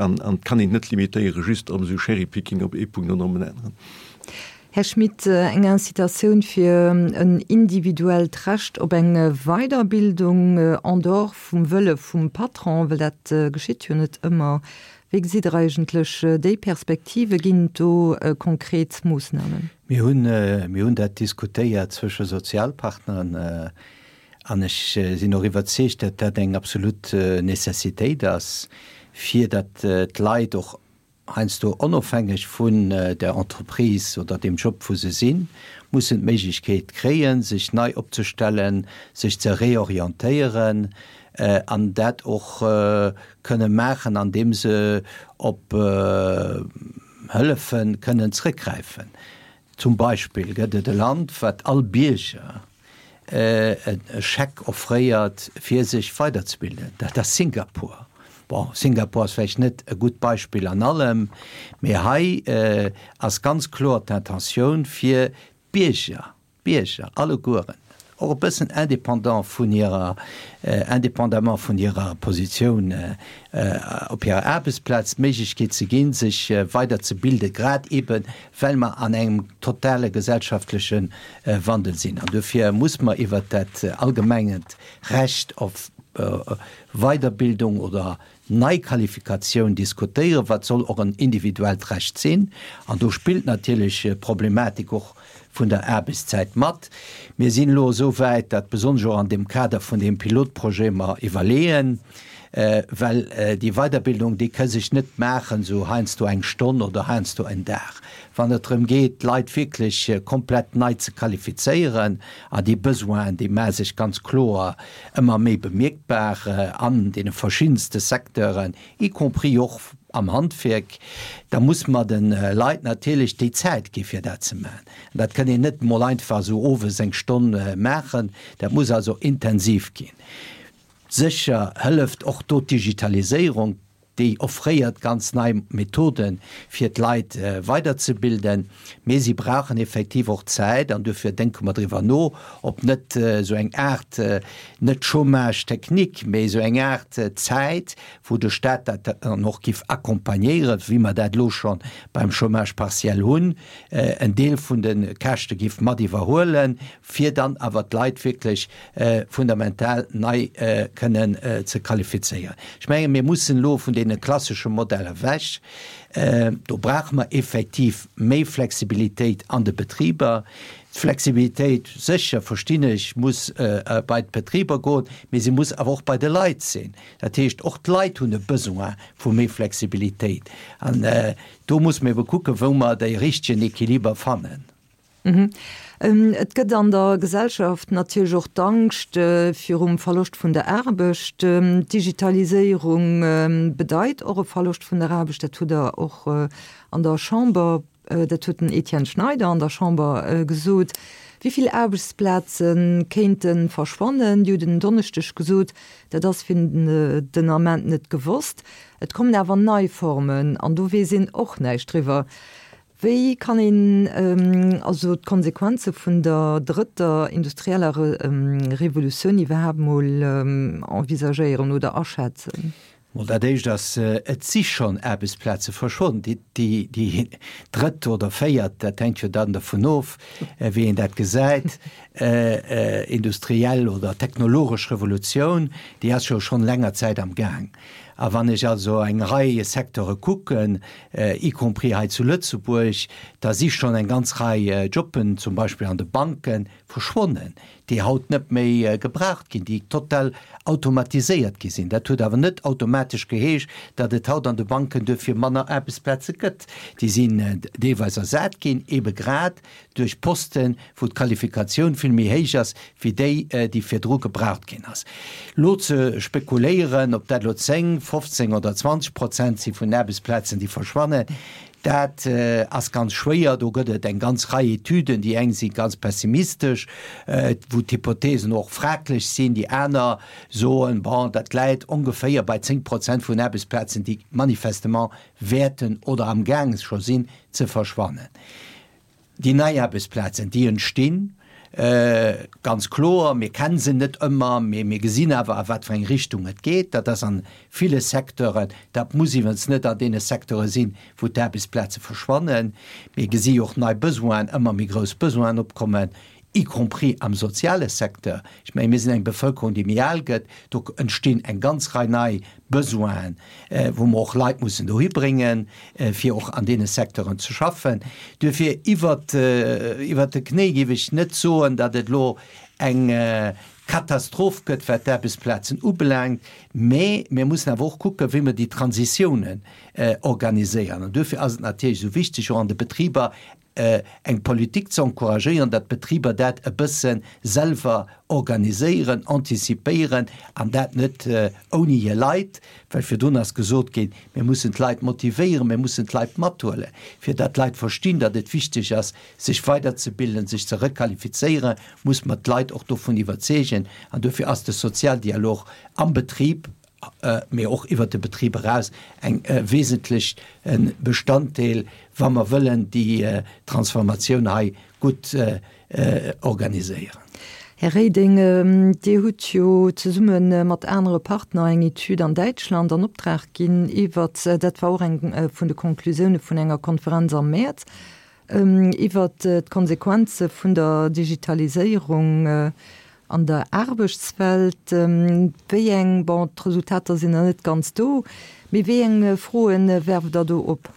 kann een et net limitéiere just op esou Cherry-picking op ee Punkt oder op en aneren. Här Schmit, eng Incitatioun fir en individuellt Recht op eng Weiderbildung en dehors vum Wëlle vum Patron, well dat geschitt jo net ëmmer. Wéi gesitt Der eigentlech déi Perspektive? Ginn et do konkret Moossnamen? Mir hunn, mir hunn dat diskutéiert zwësche Sozialpartneren an ech sinn och iwwerzeegt, datt dat eng absolut Nécessitéit ass, fir datt d'Leit och heiansdo onofhängeg vun der Entreprise oder dem Job wou se sinn, mussen d'Méiglechkeet kréien, sech nei opzestellen, sech ze reorientéieren an dat och kënne maachen, andeem se op Hëllefe kënnen zrëckgräifen. Zum Beispill gëtt et e Land, wat all Bierger e Scheck offréiert, fir sech weiderzebilden, dat ass Singapur. Bon, Singapur ass vläicht net e gutt Beispill an allem, mee hei ass ganz kloer d'Intentioun, fir d'Bierger, d'Bierger allegueren, och e bëssen indépendant vun hirer, indépendamment vun hirer Positioun op hirer Aarbechtsplaz, d'Méiglechkeet ze ginn, sech weiderzebilden, grad eebe well mer an engem totale gesellschaftleche Wandel sinn. An dofir muss mer iwwert dat allgemengt Recht op Weiderbildung oder Neiqualifikatioun diskutéieren, wat soll och en individuellt Recht sinn. An do spillt natierlech d'Problematik och vun der Aarbechtszäit mat. Mir sinn elo esou wäit, dat besonnesch och an deem Kader vun deem Pilotprojet mer iwwerleeën, well déi Weiderbildung, déi ka sech net maachen esou heiansdo eng Stonn oder heiansdo en Dag. Wann et drëm geet, d'Leit wierklech komplett nei ze qualifizéieren, an déi Besoinen, déi maache sech ganz kloer ëmmer méi bemierkbar an deene verschiddenste Secteuren, y compris och am Handwierk, da muss mer de Leit natierlech déi Zäit gi fir dat ze maachen. An dat kënn een net emol einfach esou owes eng Stonn maachen, dat muss also intensiv ginn. Sécher hëlleft och do d'Digitaliséierung, déi offréiert ganz nei Methoden, fir d'Leit weiderzebilden, mee si brauchen effektiv och Zäit an duerfir denke mer driwwer no, ob net esou eng Aart, net Chômage technique, mee esou eng Aart Zäit, wou de Stat dat dann och giff accompagnéieren, wéi mer dat elo scho beim Chômage partiel hunn, en Deel vun de Käschte giff mat iwwerhuelen, fir dann awer d'Leit wierklech fundamental nei kënnen ze qualifizéieren. Ech mengen, mir mussen elo vun deene klassesche Modeller ewech. Do brauche mer effektiv méi Flexibilitéit an de Betriber. D'Flexibilitéit, sécher, verstinn ech, muss bei d'Betriber goen, mee se muss awer och bei de Leit sinn. Dat heescht, och d'Leit hunn e Besoin vu méi Flexibilitéit. An do muss mer ebe kucken, wou mer dee richtegen Equiliber fannen. Et gëtt an der Gesellschaft natierlech och d'Angscht virum Verloscht vun der Aarbecht. D'Digitaliséierung bedeit och e Verloscht vun der Aarbecht. Dat hutt Der och an der Chamber, dat huet den Etienne Schneider an der Chamber gesot. Wéi vill Aarbechtsplaze kéinte verschwannen? Dir hutt en Donneschdeg gesot, dat ass fir den Ament net gewosst. Et kommen awer nei Formen an do weess een och näischt driwwer. Wéi kann een also d'Konsequenze vun der drëtter industrieller Revolutioun iwwerhaapt mol envisagéieren oder aschätzen? Mol dat éischt ass, et si schonn Aarbechtsplaze verschwonnen. Déi drëtt oder véiert, dat hänkt jo dann dervun of, wéi een dat gesäit, industriell oder technologesch Revolutioun, déi ass jo schonn länger Zäit am Gaang. A wann ech also eng Rei Secteure kucken, y compris hei zu Lëtzebuerg, da si schonn eng ganz Rei Jobben, zum Beispill an de Banken, verschwonnen, déi haut net méi gebraucht ginn, déi total automatiséiert gi sinn. Dat huet awer net automatesch geheescht, datt et haut an de Banken duerfir manner Aarbechtsplaze gëtt. Déi sinn deelweis ersat ginn, eebe grad duerch Posten, wou d'Qualifikatioun vill méi héich ass wéi déi, déi virdru gebraucht ginn ass. Elo ze spekuléieren, ob dat elo 10, 15 oder 20 Prozent si vun den Aarbechtsplazen, déi verschwannen, Dat ass ganz schwéier. Do gëtt et eng ganz Rei Etüden. Déi eng si ganz pessimistesch, wou d'Hypothesen och fraglech sinn. Déi aner soen, bon, dat läit ongeféier bei 10 Prozent vun Aarbechtsplazen, déi manifestement wäerten oder amgaang scho sinn ze verschwannen. Déi nei Aarbechtsplazen, déi entstinn, ganz kloer, mir kenne se net ëmmer, mee mir gesinn awer, a wat fir eng Richtung et geet. Dat ass a ville Secteuren, dat muss iwwens net an deene Secteure sinn, wou d'Aarbechtsplaze verschwannen. Mir gesi jo och nei Besoinen, ëmmer méi grouss Besoinen opkommen, y compris am soziale Secteur. Ech mengen, mir sinn eng Bevëlkerung, déi méi al gëtt. Do entstinn eng ganz Rei nei Besoinen, wou mer och Leit mussen dohi bréngen, fir och an deene Secteuren ze schaffen. Duerfir iwwert, iwwert de Knéi géif ech net soen, datt et elo eng Katastroph gëtt, wat d'Aarbechtsplazen ubelaangt. Mä mir mussen awer och kucken, wéi mer déi Transitiounen organiséieren. An duerfir ass et natierlech esou wichteg, och an de Betriber eng Politik ze encouragéieren, datt d'Betriber dat e bësse selwer organiséieren, anticipéieren an dat net ouni hir Leit, well virdrun ass gesot ginn, mir mussen d'Leit motivéieren, mir mussen d'Leit mathuelen, fir datt d'Leit verstinn, datt et wichteg ass, sech weiderzebilden, sech ze requalifizéieren, muss mer d'Leit och dovun iwwerzeegen an dofir ass de Sozialdialog am Betrib mee och iwwert de Betrib eraus eng wesentlech Bestanddeel, wa mer wëllen déi Transformatioun hei gutt organiséieren. Här Reding, Dir hutt jo zesumme mat anere Partner eng Etüd an Däitschland an Optrag ginn iwwert, dat war och eng vun de Konklusioune vun enger Konferenz am Mäerz, Iwwert d'Konsequenze vun der Digitaliséierung an der Aarbechtswelt, wéi eng, bon, d'Resultater sinn nach net ganz do, mee wéi eng Froe werft Der do op?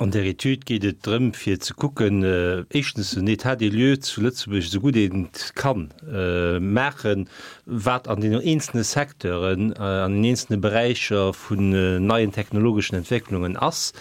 An där Etüd geet et drëm, fir ze kucken, éischtens en État des lieux zu Lëtzebuerg esou gutt een et kann maachen, wat an deenen eenzelne Secteuren, an den eenzelne Beräicher vun neien technologeschen Entwécklungen ass,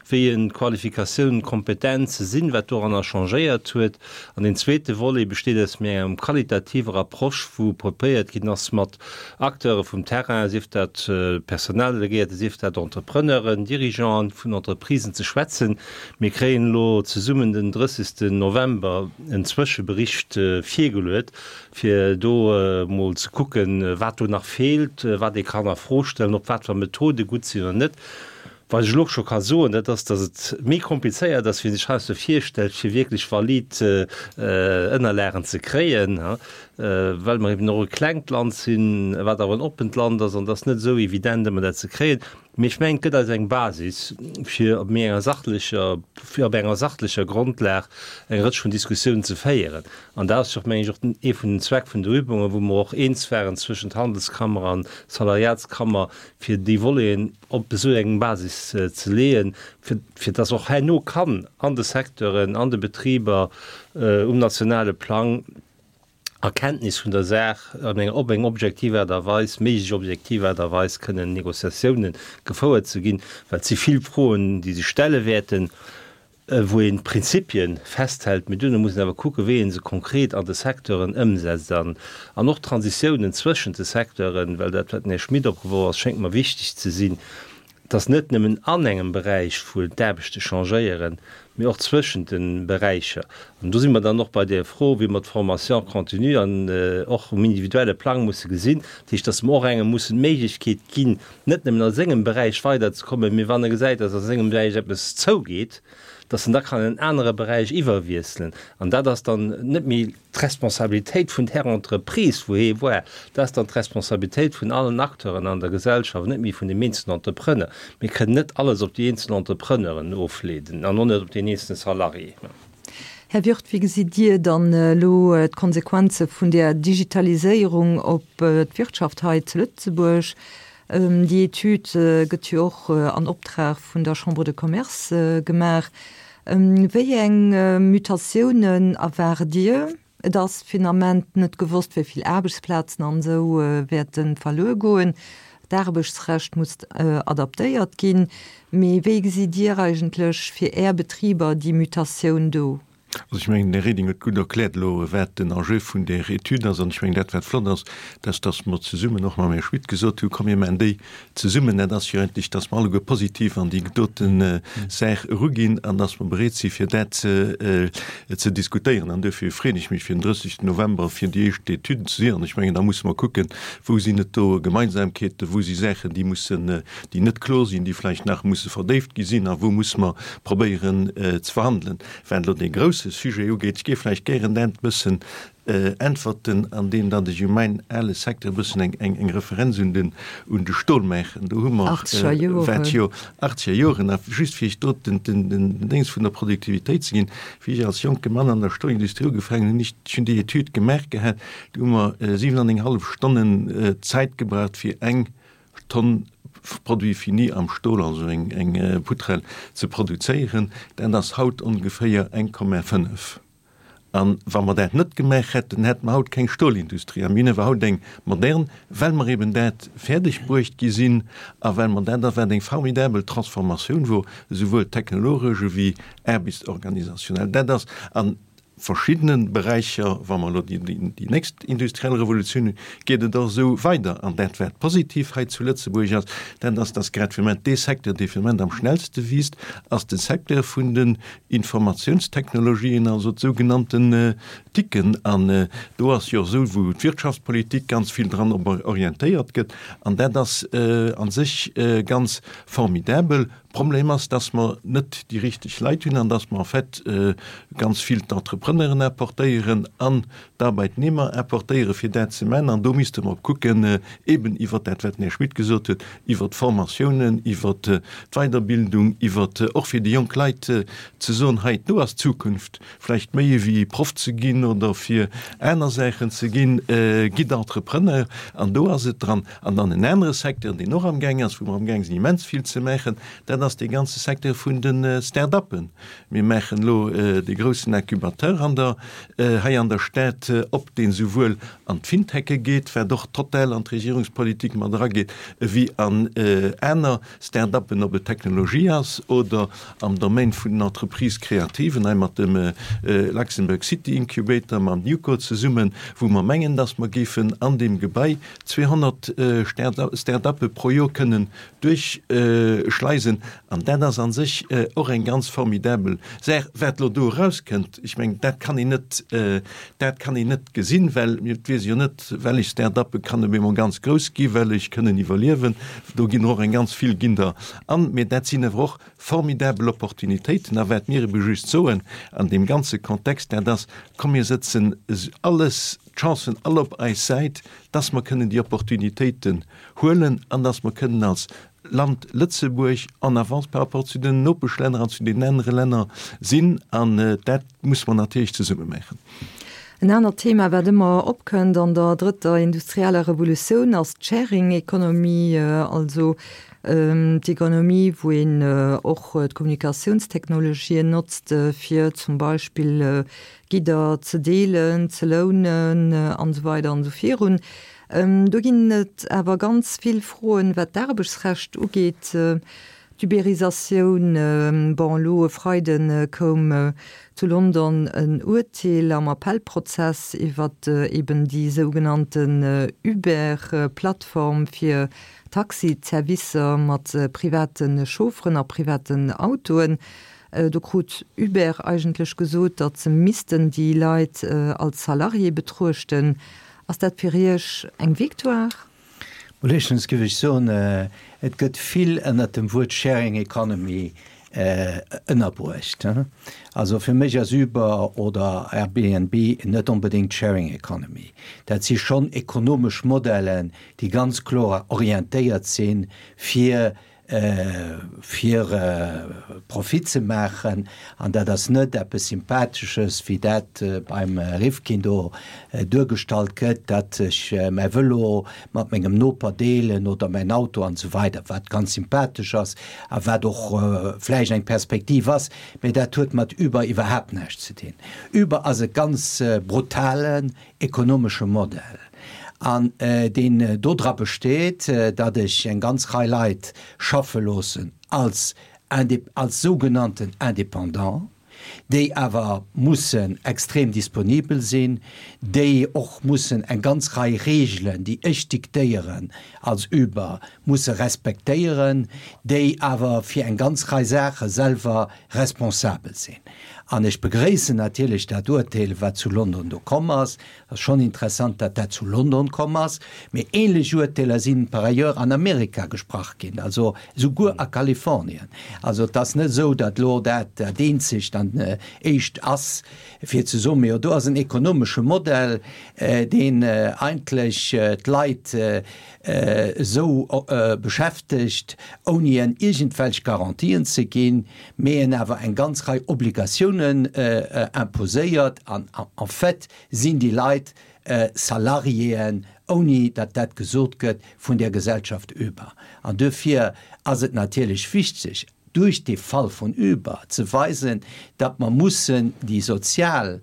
wéi en d'Qualifikatiounen, d'Kompetenze sinn, wat doranner changéiert huet. An deen zweete Volet besteet aus méi engem qualitativer Approche, wou probéiert ginn ass, mat Acteure vum Terrain, sief dat Personaldelegéierte, sief dat Entrepreneuren, Dirigeanten vun Entreprisen ze schwätzen. Mir kréien elo zesummen den 30. November en Zwëschebericht virgeluet, fir do emol ze kucken, wat do nach feelt, wat ee kann a Fro stellen, ob wat fir Methode gutt sinn oder net. Wat ech elo scho ka soen, dat ass, datt et méi komplizéiert ass, wéi een sech heiansdo virstellt, fir wierklech valid Ënnerlagen ze kréien, well mer eben och e klengt Land sinn, wat awer en oppent Land ass, an et ass net esou evident ëmmer dat ze kréien. Mee ech mengen, et gëtt eis eng Basis, fir op méi enger sachlecher, fir op enger sachlecher Grondlag eng Rëtsch vun Diskussiounen ze féieren. An dat ass jo, mengen ech, och ee vun den Zweck vun der Übungen, wou mer och eens waren zwëschent Handelskammer an Salariatskammer, fir déi Voleten op esou eng Basis ze leeën, fir, fir dass och herno kann an de Secteuren, an de Betriber um nationale Plang a Kenntnis vun der Saach an enger, op eng objektiv Aart a Weis, méiglech objektiv Aart a Weis kënnen Négociatiounen gefouert ze ginn, well et si vill Froen, déi sech stelle wäerten. wou een d'Prinzipien festhält, mee duerno muss een awer kucken, wéi ee se konkret an de Secteuren ëmsetzt an an och d'Transitiounen zwëschent de Secteuren, well dat, wat den Här Schmit opgeworf ass, schéngt mer wichteg ze sinn, dass net nëmmen an engem Beräich, wou d'Aarbechte changéieren, mee och zwëschent de Beräicher. An do si mer dann och bei där Fro, wéi mer d'Formation continue an och um individuelle Plang musse gesinn, dat heescht, dass mer och engem mussen d'Méiglechkeet ginn, net nëmmen a sengem Beräich weiderzekommen, mee wann e gesäit, dass a sengem Beräich eppes zougeet, dass en da kann an en anere Beräich iwwerwiesselen. An dat ass dann net méi d'Responsabilitéit vun där Entreprise, wou hee war, dat ass dann d'Responsabilitéit vun allen Acteuren an der Gesellschaft, net méi vun dem eenzelnen Entrepreneur. Mir kënnen net alles op déi eenzel Entrepreneuren ofleeden an och net op deen eenzelne Salarié. Här Wirth, wéi gesitt Dir dann elo d'Konsequenze vun där Digitaliséierung op d'Wirtschaft hei zu Lëtzebuerg? Déi Etüd gëtt jo och an Optrag vun der Chambre de Commerce gemaach. Wéi eng Mutatiounen erwaart Dir? Et ass fir den Ament net gewosst, wéi vill Aarbechtsplazen an esou wäerte verluer goen. D'Aarbechtsrecht muss adaptéiert ginn. Mee wéi gesitt Dir eigentlech fir Är Betriber déi Mutatioun do? Also ech mengen, den Här Reding huet gutt erkläert elo, wat den Enjeu vun där Etüd ass. An ech mengen, dat wat flott ass, dat ass, dass mer zesummen och mam Här Schmit gesot hunn, komm mir maachen déi zesummen. Dat ass jo eigentlech, dass mer alleguer positiv an déi dote Saach eruginn an dass mer bereet si fir dat ze diskutéieren. An duerfir freeën ech mech fir den 30 November fir déi éischt Etüden ze sinn. An ech mengen, da musse mer kucken, wou sinn et do Gemeinsamkeeten, wou si Saachen, déi mussen, déi net kloer sinn, déi vläicht nach musse verdéift gi sinn a wou musse mer probéieren ze verhandelen. Wat elo dee grousse Sujet ugeet, ech géif vläicht gären dat e bëssen äntwerten, andeem datt ech u mäin ale Secteur e bëssen eng, eng, eng Referenz un den, un de Stol maachen. Do hu mer, wat jo achtzeger Joren, a just fir Iech do den, den, den Déngs vun der Produktivitéit ze ginn, wéi ech als jonke Mann an der Stolindustrie ugefaangen hunn, ech hunn déi Etüd gemaach gehat, do hu mer 7 an eng hallef Stonnen Zäit gebraucht fir eng Tonn Produit fini am Stol, also eng, eng Poutrelle ze produzéieren. Dat ass haut ongeféier 1,5. A wa mer dat net gemaach hätten, hätte mer haut keng Stolindustrie. A mir hunn awer haut eng modern, well mer eben dat fäerdeg bruecht gi sinn a well mer dat, a wat eng formidabel Transformatioun wor, esouwuel technologesch ewéi aarbechtsorganisationell. Dat ass, an verschiddene Beräicher, wa mer elo déi nächst industriell Revolutioun hunn, geet et och esou weider. An dat, wat positiv hei zu Lëtzebuerg ass, dat ass, dass grad fir de Moment dee Secteur, dee fir de Moment am schnellste wiisst, ass de Secteur vun den Informatiounstechnologien, also d'sougenannten TICen. An do ass jo och esou, wou d'Wirtschaftspolitik ganz vill dran orientéiert gëtt. An dat ass a sech ganz formidabel. Problem ass, dass mer net déi richteg Leit hunn an dass mer en fait ganz vill d'Entrepreneuren importéieren an d'Arbeitnehmer importéieren, fir dat ze maachen. An do misste mer kucken, eben iwwert dat, wat den Här Schmit gesot huet, iwwert d'Formatiounen, iwwert d'Weiderbildung, iwwert och fir déi jonk Leit ze soen, hei, do ass d'Zukunft, vläicht méi ewéi Proff ze ginn oder fir aner Saachen ze ginn, gitt Entrepreneur. An do ass et dran. An dann en anere Secteur, deen och amgaang ass, wou mer amgaang sinn immens vill ze maachen, dat ass dee ganze Secteur vun de Start-uppen. Mir maachen elo dee groussen Incubateur an der, hei an der Stad op, deen esouwuel an d'Fintechë geet, wat och total an d'Regierungspolitik mat erageet, ewéi an aner Start-uppen, ob et Technologie ass oder am Domaine vun den Entreprises créatives, hei mat dem Luxembourg City Incubator, mam NewCo zesummen, wou mer mengen, dass mer géifen an deem Gebai 200 Start-uppe pro Joer kënnen duerchschleisen. An dat ass a sech och eng ganz formidabel Saach. Wat elo do erauskënnt, ech mengen, dat kann een net, dat kann een net gesinn, well et weess ee jo net, wellech Start-uppe kann op eemol ganz grouss gi, wellech kënnen iwwerliewen. Do ginn och eng ganz vill ginn der an. Mee dat sinn awer och formidabel Opportunitéiten. A wat mir ebe just soen an deem ganze Kontext, dat ass, Komm mir sëtzen alles, d'Chancen all op eis Säit, dass mer kënnen déi Opportunitéiten huelen an dass mer kënnen als Land Lëtzebuerg en avance par rapport zu den Nopeschlänner an zu den anere Länner sinn. An dat musse mer natierlech zesumme maachen. En anert Thema, wat ëmmer opkënnt an der drëtter industrieller Revolutioun, ass d'Sharing Economy, also d'Economie, wou een och d'Kommunikatiounstechnologien notzt, fir zum Beispill Gidder ze deelen, ze lounen an esou weider an esou virun. Do ginn et awer ganz vill Froen, wat d'Aarbechtsrecht ugeet, d'Uberisatioun. Bon, elo e Freide koum zu London en Urteel am Appellprozess iwwer eben déi sougenannten Uber-Plattform fir Taxi-Zerwisser mat private Chaufferen a privaten Autoen. Do krut Uber eigentlech gesot, datt se missten déi Leit als Salarié betruechten. Ass dat fir Iech eng Victoire? Mol éischtens géif ech soen, et gëtt vill ënnert dem Wuert Sharing Economy ënnerbruecht. Also fir mech ass Uber oder Airbnb net onbedéngt Sharing Economy. Dat si schonn ekonomesch Modellen, déi ganz kloer orientéiert sinn, fir fir Profit ze maachen, an dat ass net eppes Sympathesches, wéi dat beim Rifkin do duergestallt gëtt, datt ech mäi Vëlo mat mengem Noper deelen oder mäin Auto an esou weider, wat ganz sympathesch ass a wat och vläicht eng Perspektiv ass, mee dat huet mat Uber iwwerhaapt näischt ze dinn. Uber ass e ganz brutalen ekonomesche Modell, an deen dodra besteet, datt ech eng ganz Rei Leit schaffe loossen als als sougenannten Indépendant. déi awer mussen extrem disponibel sinn, déi och mussen eng ganz Rei Regeln, déi ech diktéieren als Uber, musse respektéieren, déi awer fir eng ganz Rei Saache selwer responsabel sinn. An ech begréissen natierlech dat Urteel, wat zu London do komm ass. Ass schonn interessant, datt dat zu London komm ass. Mee ähnlech Urteeler sinn par ailleurs an Amerika gesprach ginn, also esouguer a Kalifornien. Also et ass net esou, datt elo dat dat eenzegt an éischt ass, fir ze soen, Mee jo, do ass en ekonomesche Modell, deen eigentlech d'Leit esou beschäftegt, ouni en iergendwelch Garantien ze ginn, mee en awer eng ganz Rei Obligatiounen imposéiert. An en fait sinn déi Leit Salariéen, ouni datt dat gesot gëtt, vun där Gesellschaft Uber. An duerfir ass et natierlech wichteg, duerch dee Fall vun Uber ze weisen, datt mer mussen déi sozial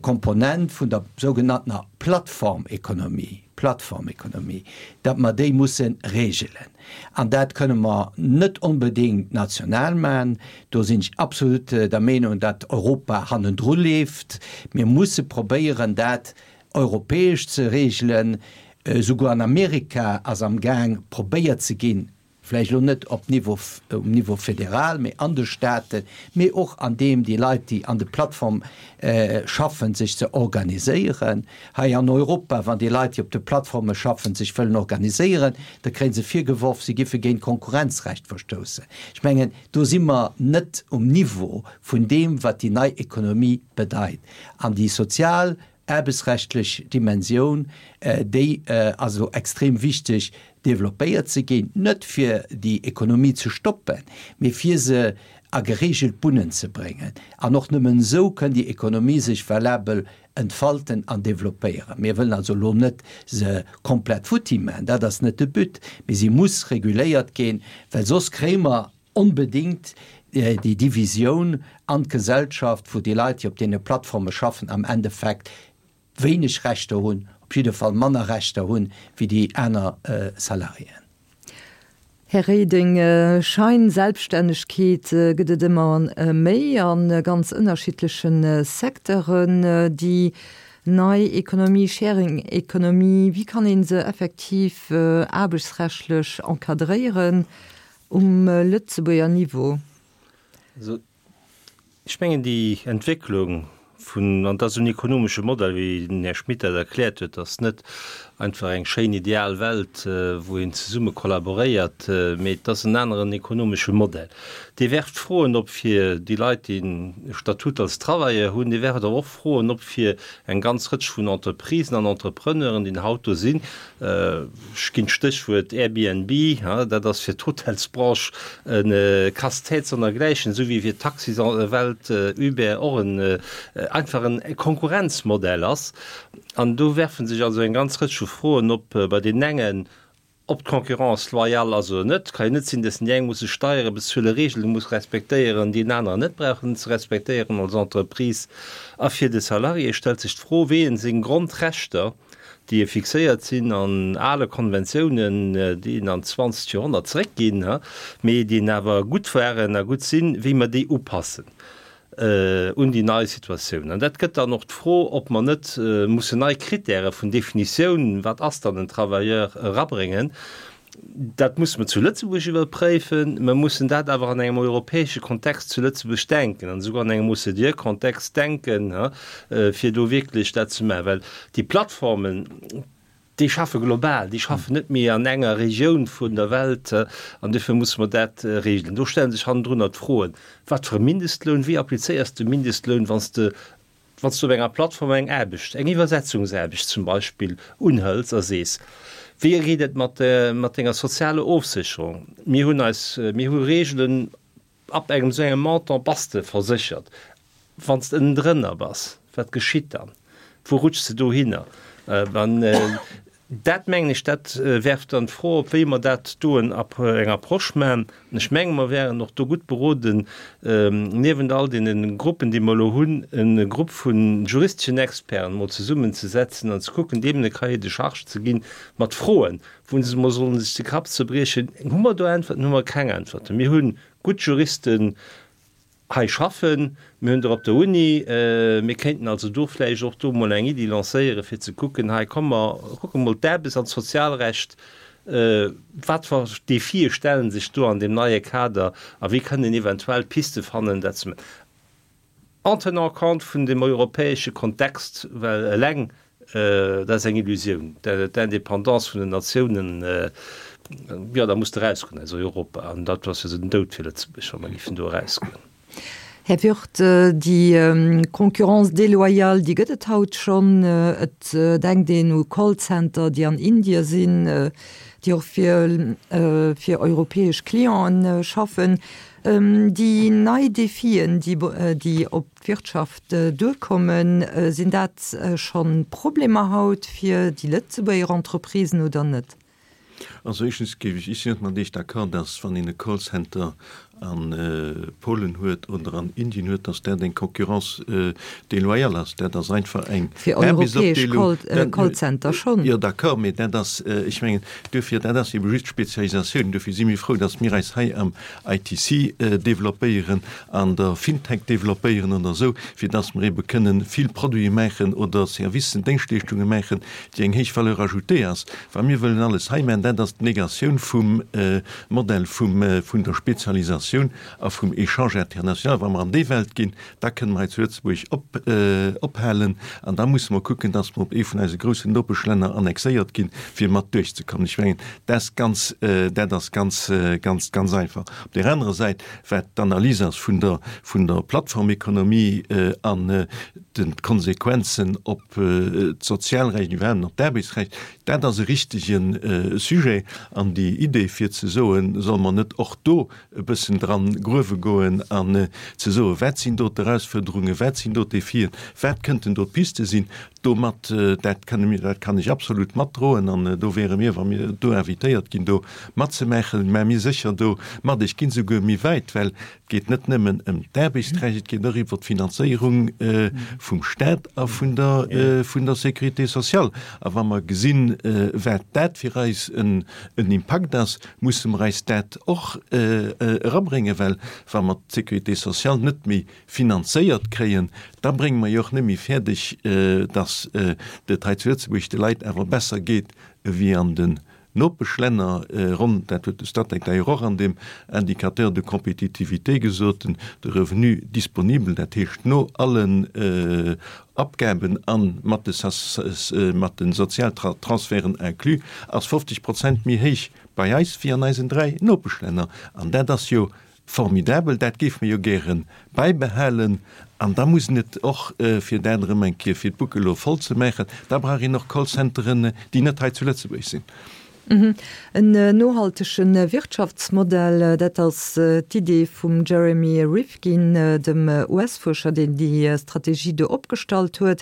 Komponent vun der sougenanntener Plattformekonomie, Plattformekonomie, datt mer déi musse regelen. An dat kënne mer net onbedéngt national maachen. Do sinn ech absolut der Meenung, datt Europa hannendru leeft. Mir musse probéieren, dat europäesch ze regelen. Souguer an Amerika ass amgaang probéiert ze ginn, vläicht elo net op Niveau, um Niveau federal, mee an de Staten, mee och an deem déi Leit, déi an de Plattforme schaffen, sech ze organiséieren. Hei an Europa, wann déi Leit, déi op de Plattforme schaffen, sech wëllen organiséieren, da kréie se virgeworf, se giffe géint d'Konkurrenzrecht verstoussen. Ech mengen, do si mer net um Niveau vun deem, wat déi nei Ekonomie bedeit. An déi sozial aarbechtsrechtlech Dimensioun, déi ass elo extrem wichteg développéiert ze ginn, net fir déi Ekonomie ze stoppen, mee fir se a geregelt Bunnen ze bréngen. An och nëmmen esou kënn déi Ekonomie sech valabel entfalten an développéieren. Mir wëllen also elo net se komplett futti maachen, dat ass net de But, mee si muss reguléiert ginn, well soss kréie mer onbedéngt déi Divisioun an d'Gesellschaft, wou déi Leit, déi op deene Plattforme schaffen, am Endeffekt wéineg Rechter hunn, op jidde Fall manner Rechter hunn, wéi déi aner Salariéen. Här Reding, Scheinselbststännegkeet gëtt et ëmmer méi a ganz ënnerschiddleche Secteuren. Déi nei Ekonomie, Sharing Economy, wéi kann ee se effektiv aarbechtsrechtlech encadréieren? Um Lëtzebuerger Niveau. Also, ech mengen, déi Entwécklung vun, an dat ass en ekonomesche Modell, wéi den Här Schmit dat erkläert huet, ass net einfach eng schéin ideal Welt, wou een zesumme kollaboréiert, mee et ass en aneren ekonomesche Modell. Dee werft Froen op fir déi Leit, déi e Statut als Travailleur hunn, dee werft awer och Froen op fir eng ganz Rëtsch vun Entreprisen an Entrepreneuren, déi haut do sinn, Ech ginn d'Stéchwuert Airbnb, dat ass fir d'Hotelsbranche e Casse-tête sonnergläichen, esou wéi fir d'Taxiswelt Uber och en einfach en Konkurrenzmodell ass. An do werfe sech also eng ganz Rëtsch vu Froen op, bei deenen engen, ob d'Concurrence loyale ass oder net. Et ka jo net sinn, dass déi eng musse Steiere bezuelen, Reegele muss respektéieren, déi en aneren net brauchen ze respektéieren als Entreprise. A fir de Salarié stellt sech d'Fro, wéi en seng Grondrechter, déi fixéiert sinn an ale Konventiounen, déi an d'zwanzegt Joerhonnert zeréckginn, mee déi awer gutt waren a gutt sinn, wéi mer déi upassen un déi nei Situatioun. An dat gëtt dann och d'Fro, ob mer net mussen nei Kritäre vun Definitioun, wat ass dann en Travailleur, erabréngen. Dat musse mer zu Lëtzebuerg iwwerpréifen. Mer mussen dat awer an engem europäesche Kontext zu Lëtzebuerg denken an esouguer an engem OCDE-Kontext denken, fir do wierklech dat ze maachen. Well déi Plattformen, déi schaffe global, déi schaffen net méi an enger Regioun vun der Welt an duerfir musse mer dat regelen. Do stelle sech hannendrunner d'Froen, Wat fir e Mindestloun, wéi applizéiers de Mindestloun, wann s de Wann s du op enger Plattform eng Aarbecht, eng Iwwersetzungsaarbecht zum Beispill, unhëls a sees, Wéi geet et mat mat denger sozialer Ofsécherung? Mir hunn eis, mir hu Reegelen, ab engem esou engem Montant bass de verséchert. Wann s de ënnendrënner bass, wat geschitt dann? Wou rutschs de dohinner? An Dat mengen ech, dat werft dann d'Fro op, wéi mer dat do eng Approche maachen. An ech menge mer wären och do gutt beroden, niewent all deene Gruppen, déi mer elo hunn, e Grupp vu juristeschen Experten emol zesummenzesetzen an ze kucken, deenen e Cahier de charges ze ginn mat Froen, wou se emol sollen sech de Kapp zerbriechen, Hu mer do Äntwerten, hu mer keng Äntwerten? Mir hu gutt Juristen. Hei schaffen. Mir hunn der op der Uni. Mir kéinten also do vläicht och do emol eng Iddi lancéieren, fir ze kucken, hei komm mer kucke mol d'Aarbechts an d'Sozialrecht, wat fir Defie stelle sech do an deem neie Kader a wéi kënnen een eventuell Piste fannen, dat ze en tenant compte vun dem europäesche Kontext, well eleng Dat ass eng Illusioun. D'Indépendance vun den Natiounen, jo, da muss de erausgoen aus Europa. An dat ass jo esou den Doud fir Lëtzebuerg, wa mer géifen do erausgoen. Här Wirth, déi Concurrence déloyale, déi gëtt et haut schonn. Et denkt een u Callcenter, déi an Indie sinn, déi och fir fir europäesch Clienten schaffen. Déi nei Defien, déi op d'Wirtschaft duerkommen. Sinn dat scho Problemer haut fir déi Lëtzebuerger Entreprisen oder net? Also éischtens géif ech, ech sinn net mat Iech d'accord, dass wann een e Callcenter a Polen huet oder an Indien huet, dass dat eng Concurrence déloyale ass. Dat ass einfach eng Fir europäesch Callcenter schonn. Jo, d'accord, mee dat ass, ech mengen, duerfir, dat ass ebe just d'Spezialisatioun. Duerfir si mir frou, dass mir eis hei am ITC développéieren, an der FinTech développéieren oder esou, fir dass mer ebe kënnen vill Produite maachen oder Servicen, Déngschtleeschtunge maachen, déi eng héich Valeur ajoutée ass. Wa mir wëllen alles hei maachen, dat ass d'Negatioun vum Modell vum, vun der Spezialisatioun a vum Échange international. Wa mer an déi Welt ginn, da kënnen mer hei zu Lëtzebuerg op, ophalen an da musse mer kucken, dass mer op ee vun eise groussen Nopeschlänner annexéiert ginn, fir mat duerchzekommen. Ech mengen, dat ass ganz, dat ass ganz, ganz, ganz einfach. Op där anerer Säit, wat d'Analys ass vun der, vun der Plattformekonomie an den d'Konsequenzen op d'Sozialrecht, iwwerhaapt op d'Aarbechtsrecht, dat ass e richtege Sujet. An déi Idee fir ze soen, solle mer net och do e bëssen dran gruewe goen an ze soen, wat sinn do d'Erausfuerderungen, wat sinn do d'Defien, wat kënnten do d'Piste sinn, domat, dat kënne mir, dat kann ech absolut matdroen an do wäere mir, wa mir do invitéiert ginn, do matzemaachen, mä mir sécher do mat. Ech ginn esouguer méi wäit, well et geet net nëmmen ëm d'Aarbechtsrecht, et geet och iwwert d'Finanzéierung vum Stat a vun der, vun der Sécurité sociale. A wa mer gesinn, wat dat fir eis en Impakt ass, musse mer eis dat och erabréngen, well wa mer d'Sécurité sociale net méi finanzéiert kréien, da brénge mer jo och net méi fäerdeg, datt et hei zu Lëtzebuerg de Leit awer besser geet ewéi an den Nopeschlänner. Ronn, dat huet de Statec d'ailleurs och an deem Indicateur de compétitivité gesot, de Revenu disponible, dat heescht no allen Abgaben a mat de Sozialtransferten inclus, ass 50 Prozent méi héich bei eis wéi an eisen 3 Nopeschlänner. An dat ass jo formidabel, dat géife mer jo gäre bäibehalen. An da muss een et och, fir dat erëm eng Kéier, fir d'Boucle elo voll ze maachen, da brauch een och Callcenteren, déi net hei zu Lëtzebuerg sinn. En nohaltege Wirtschaftsmodell, dat ass d'Idee vum Jeremy Rifkin, dem US-Fuerscher, deen déi Strategie do opgestallt huet.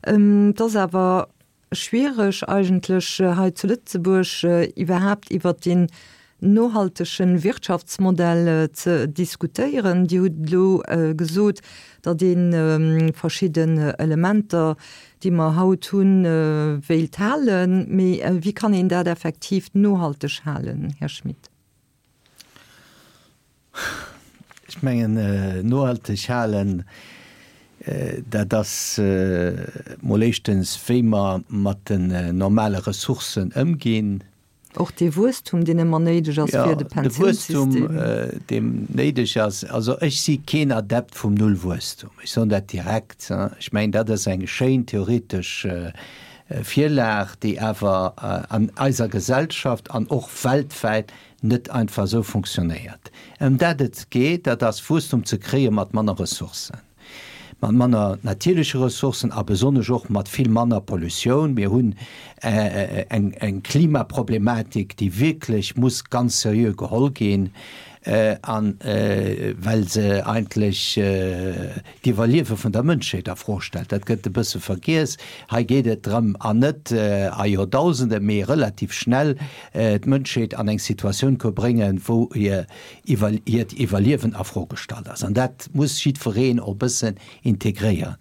Et ass awer schwiereg eigentlech hei zu Lëtzebuerg iwwerhaapt iwwert deen nohaltege Wirtschaftsmodell ze diskutéieren. Dir hutt elo gesot, datt ee verschidden Elementer, déi mer haut hunn, wéilt halen. Mee wéi kann een dat effektiv nohalteg halen, Här Schmit? Ech mengen, nohalteg halen, dat ass mol éischtens, wéi mer mat den normale Ressourcen ëmginn. Och dee Wuesstum, deen ëmmer néideg ass fir de Pensiounssystem. Jo, de Wuesstum, deem néideg ass. Also ech si keen Adept vum Nullwuesstum. Ech soen dat direkt. Ech mengen, dat ass eng schéin theoretesch Virlag, déi awer an eiser Gesellschaft an och weltwäit net einfach esou funktionéiert. Ëm dat et geet, dat ass Wuesstum ze kréie mat manner Ressourcen. Mat manner natierleche Ressourcen a besonnesch och mat vill manner Pollutioun. Mir hunn eng Klimaproblematik, déi wierklech muss ganz seriö geholl ginn, a well se eigentlech d'Iwwerliewe vun der Mënschheet a Fro stellt. Dat gëtt e bësse vergiess. Hei geet et drëm, an net a Joerdausende, mee relativ schnell d'Mënschheet an eng Situatioun ko bréngen, wou hir iwwer hiert Iwwerliewen a Fro gestallt ass. An dat muss jiddwereen och e bëssen integréieren.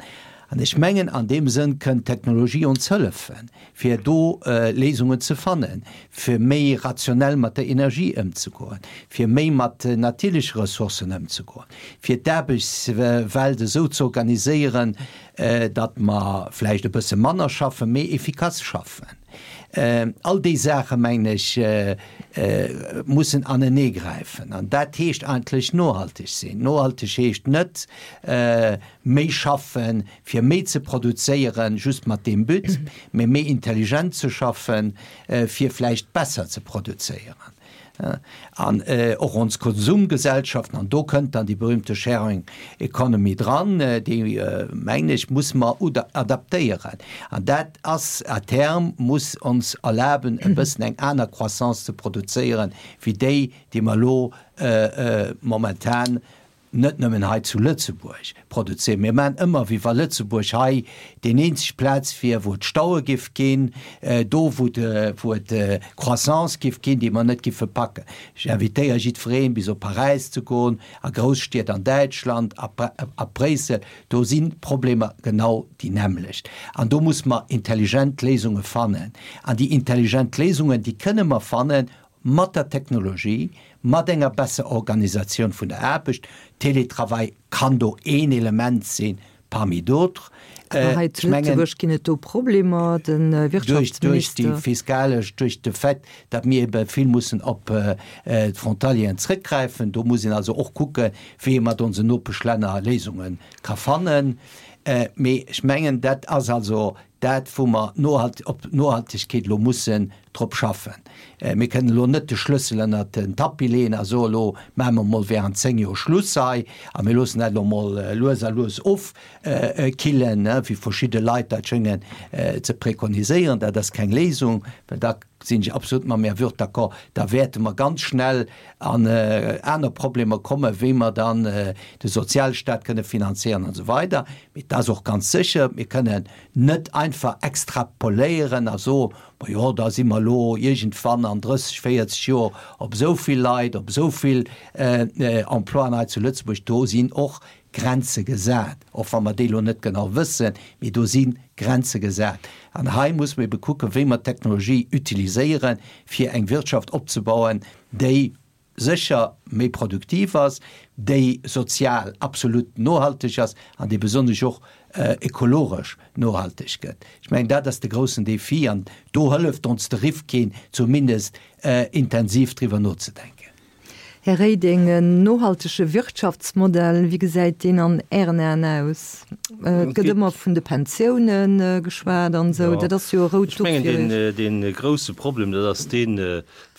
An ech mengen, an deem Sënn kënnt d'Technologie ons hëllefen, fir do Léisungen ze fannen, fir méi rationell mat der Energie ëmzegoen, fir méi mat natierleche Ressourcen ëmzegoen, fir d'Aarbechtswelt esou ze organiséieren, datt mer vläicht e bësse manner schaffen, mee efficace schaffen. All déi Saache mengen ech mussen aneneegräifen. An dat heescht eigentlech nohalteg sinn. Nohalteg heescht net méi schaffen, fir méi ze produzéieren, just mat deem But, mee méi intelligent ze schaffen, fir vläicht besser ze produzéieren. An och ons Konsumgesellschaften, an do kënnt dann déi berühmte Sharing Economy dran, déi, mengen ech, muss mer adaptéieren. An dat ass à terme, muss ons erlaben, e bëssen eng aner Croissance ze produzéieren, wéi déi, déi mer elo momentan net nëmmen hei zu Lëtzebuerg produzéieren. Mir maachen ëmmer, wéi wa Lëtzebuerg hei deen eenzeg Plaz wier, wou et Staue giff ginn, do wou wou et Croissance giff ginn, déi mer net giffe packen. Ech invitéiere jiddwereen, bis op Paräis ze goen, a Grousstied an Däitschland, a a Bréissel, do sinn d'Problemer genau déi nämmlecht. An do muss mer intelligent Léisunge fannen. An déi intelligent Léisungen, déi kënne mer fannen mat der Technologie, mat enger besser Organisatioun vun der Aarbecht, Télétravail kann do een Element sinn parmi d'autres. Awer hei zu Lëtzebuerg ginn et do Problemer, de Wirtschaftsminister. Duerch déi fiskalesch, duerch de Fait, datt mir ebe vill mussen op d'Frontalieren zrëckgräifen. Do muss een also och kucken, wéi ee mat onsen Nopeschlänner Léisunge ka fannen. Mee ech mengen, dat ass also dat, wou mer op Nohaltegkeet elo mussen drop schaffen. Mir kënnen elo net de Schlëssel ënnert den Tapis leeën a soen, elo maache mer emol während 10 Joer Schluss hei a mir loossen dat elo emol lues a lues ofkillen, wéi verschidde Leit dat schéngen ze prekoniséieren. Dat ass keng Léisung, well da sinn ech absolut mam Här Würth d'accord, da wäerte mer ganz schnell an aner Problemer kommen, wéi mer dann de Sozialstaat kënne finanzéieren an esou weider. Mee et ass och ganz sécher, mir kënnen net einfach extrapoléieren a soen, Ma jo, da si mer elo iergendwann an 30, 40 Joer op esou vill Leit, op esou vill Emploien hei zu Lëtzebuerg. Do sinn och Grenze gesat, och wa mer déi elo net genau wëssen, mee do si Grenze gesat. An hei muss mer ebe kucken, wéi mer d'Technologie utiliséieren, fir eng Wirtschaft opzebauen, déi sécher méi produktiv ass, déi sozial absolut nohalteg ass an déi besonnesch och ekologesch nohalteg gëtt. Ech mengen, dat ass de groussen Défi an do hëlleft ons de Rifkin zumindest intensiv driwwer nozedenken. Här Reding, en nohaltege Wirtschaftsmodell, wéi gesäit deen an Ären Aen aus? Et gëtt ëmmer vun de Pensiounen geschwat an esou, dat ass jo e rout Duch fir Iech. Ech mengen, dee grouse Problem, dat ass deen,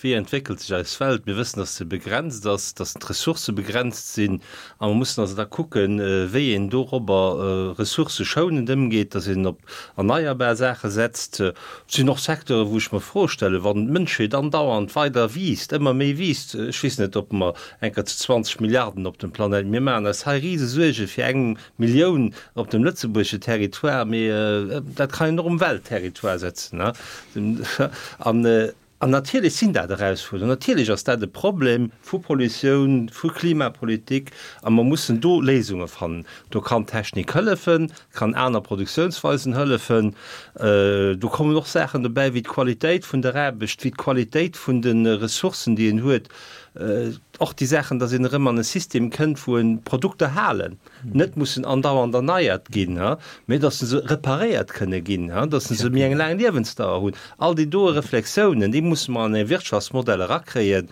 Wéi entwéckelt sech eis Welt? Mir wëssen, dass se begrenzt ass, dass d'Ressourcë begrenzt sinn. A mer mussen also da kucken, wéi een dorobber ressourcëschounend ëmgeet, dass een op erneierbar Saache setzt. Et sinn och Secteuren, wou ech mer Froe stellen, wann d'Mënschheet andauernd weider wiisst, ëmmer méi wiisst, ech weess net, ob mer eng Kéier zu 20 Milliarden op dem Planéit, mir maachen eis hei rise Suerge fir eng Millioun op dem lëtzebuergesche Territoire, mee dat kann een och um Weltterritoire setzen. An An natierlech sinn dat Erausfuerderungen, natierlech ass dat e Problem vu Pollutioun, vu Klimapolitik a mer mussen do Léisunge fannen. Do kann d'Technik hëllefen, kann aner Produktiounsweisen hëllefen. Do kommen och Saachen dobäi wéi d'Qualitéit vun der Aarbecht, wéi d'Qualitéit vun de Ressourcen, déi een huet, och déi Saachen, datt een erëm an e System kënnt, wou en d'Produkter halen. net mussen andauernd erneiert ginn, mee datt se reparéiert kënne ginn, datt se méi eng laang Liewensdauer hunn. All déi doe Reflexiounen, déi musse mer an e Wirtschaftsmodell erakréien.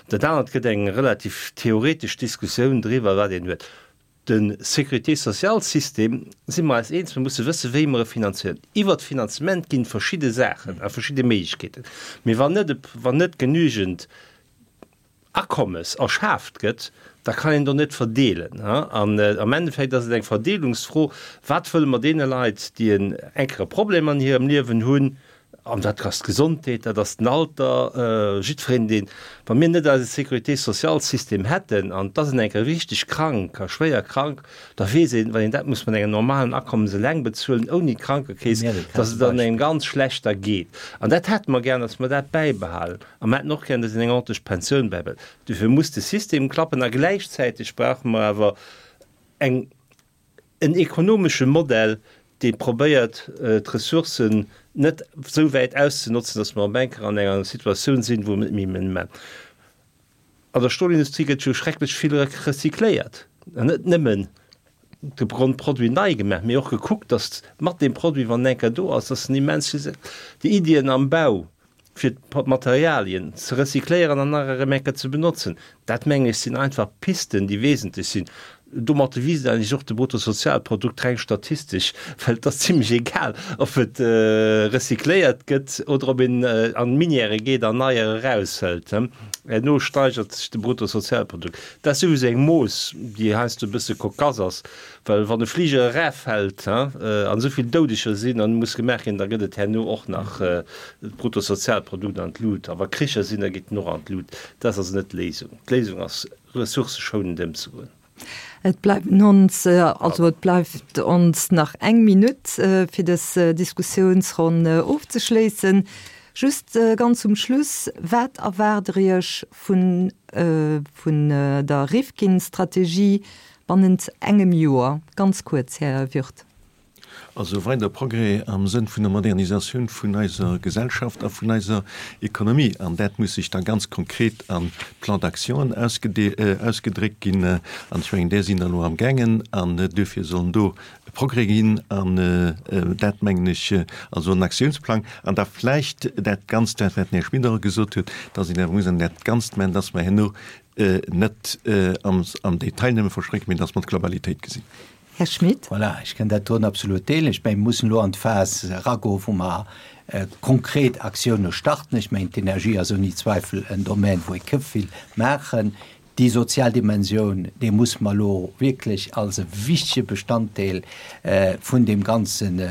Dat anert gëtt eng relativ theoretesch Diskussioun driwwer, wat een huet. De Sécurité-sociale-System, si mer eis eens, mir musse wëssen, wéi mer e finanzieren. Iwwert d'Finanzement ginn verschidde Saachen a verschidde Méiglechkeeten. Mee wann net, wann net genügend Akommes erschaaft gëtt, da kann een do net verdeelen. An am Endeffekt ass et eng Verdeelungsfro, Wat wëlle mer deene Leit, déi en enkere Problem an hirem Liewen hunn, an dat ass d'Gesondheet, dat ass den Alter, jiddwereen, deen, wa mir net eise Sécurité-sociale-System hätten an et ass een enker richteg krank a schwéier krank, da weess een, wann een dat muss mat engem normalen Akommes eleng bezuelen, ouni d'Krankekeess, dass et dann engem ganz schlecht da geet. An dat hätte mer gär, dass mer dat bäibehalen. A mer hätten och gär, dass een eng ordentlech Pensioun bäibehält. Dofir muss de System klappen a gläichzäiteg brauche mer awer eng, en ekonomesche Modell, dee probéiert, d'Ressourcen net esou wäit auszenotzen, datt mer op eng Kéier an enger Situatioun sinn, wou mer net méi méi. An der Stolindustrie gëtt jo schrecklech vill recycléiert, an net nëmmen de Grondproduit nei gemaach, mee och gekuckt, datt mat deem Produit, wann en eng Kéier do ass, datt en immens vill, déi Iddien am Bau, fir d'Materialien ze recycléieren an nach erëm eng Kéier ze benotzen, dat mengen ech sinn einfach Pisten, déi wesentlech sinn. Domatter wiisst eigentlech och de Bruttosozialprodukt reng statistesch, well et ass zimlech egal, ob et recycléiert gëtt oder ob een an d'Minièrë geet an neier eraushëlt. Herno steigert sech de Bruttosozialprodukt. Dat ass souwisou eng Mooss, déi heiansdo e bësse cocasse ass, well wann e Fliger eraffält an esou vill Doudeger sinn an muss gemaach ginn, da gëtt et herno och nach d'Bruttosozialprodukt an d'Lut. A wa Kricher sinn, da geet en och an d'Lut. Dat ass also net d'Léisung. D'Léisung ass, ressourcëschounend ëmzegoen. Et bleiwen ons, also et bleift ons nach eng Minutt, fir dës Diskussiounsronn ofzeschléissen. Just ganz zum Schluss, Wat erwaart Der Iech vun, vun der Rifkin-Strategie bannent engem Joer? Ganz kuerz, Här Würth. Also weider Progrès am Sënn vun der Modernisatioun vun eiser Gesellschaft a vun eiser Ekonomie. An dat muss sech da ganz konkret a Plans d'actionen ausgedréckt ginn. An ech mengen, där sinn der elo amgaangen. An duerfir sollen do Progrès ginn. An dat mengen ech, also en Aktiounsplang. An da vläicht dat Ganzt, dat wat den Här Schmit och gesot huet, dass een awer muss an dat Ganzt maachen, dass mer herno net am Detail nëmme verstréckt, mee dass mer d'Globalitéit gesinn. Här Schmit. Voilà, ech kënn dat doen absolut deelen. Ech mengen, mir mussen elo an d'Phas eragoen, wou mer konkret Aktioune starten. Ech mengen, d'Energie ass ouni Zweifel en Domän, wou ee ke vill maachen. Déi sozial Dimensioun, déi muss mer elo wierklech als e wichtege Bestanddeel vun deem Ganzen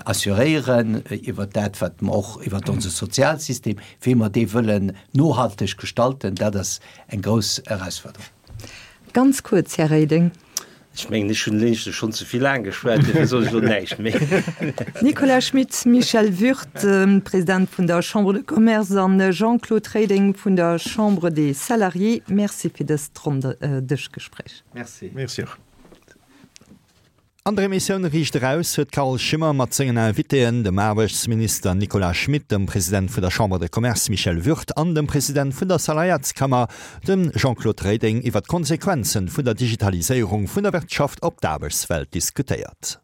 assuréieren, iwwert dat, wat mer och iwwert onse Sozialsystem, wéi mer dee wëllen nohalteg gestalten, dat ass eng grouss Erausforderung. Ganz kuerz, Här Reding. Ech mengen, ech hunn éischter schonn ze vill laang geschwat, duerfir soen ech elo näischt méi. Nicolas Schmit, Michel Würth, President vun der Chambre de Commerce, an Jean-Claude Reding vun der Chambre des Salariés, Merci fir dëst Ronndëschgespréich. Merci. Merci och. An der Emissioun Riicht Eraus huet d'Carole Schimmer mat sengen Invitéen, dem Aarbechtsminister Nicolas Schmit, dem President vun der Chambre de Commerce Michel Würth an dem President vun der Salariatskammer, dem Jean-Claude Reding, iwwer d'Konsequenzen vun der Digitaliséierung vun der Wirtschaft op d'Aarbechtswelt diskutéiert.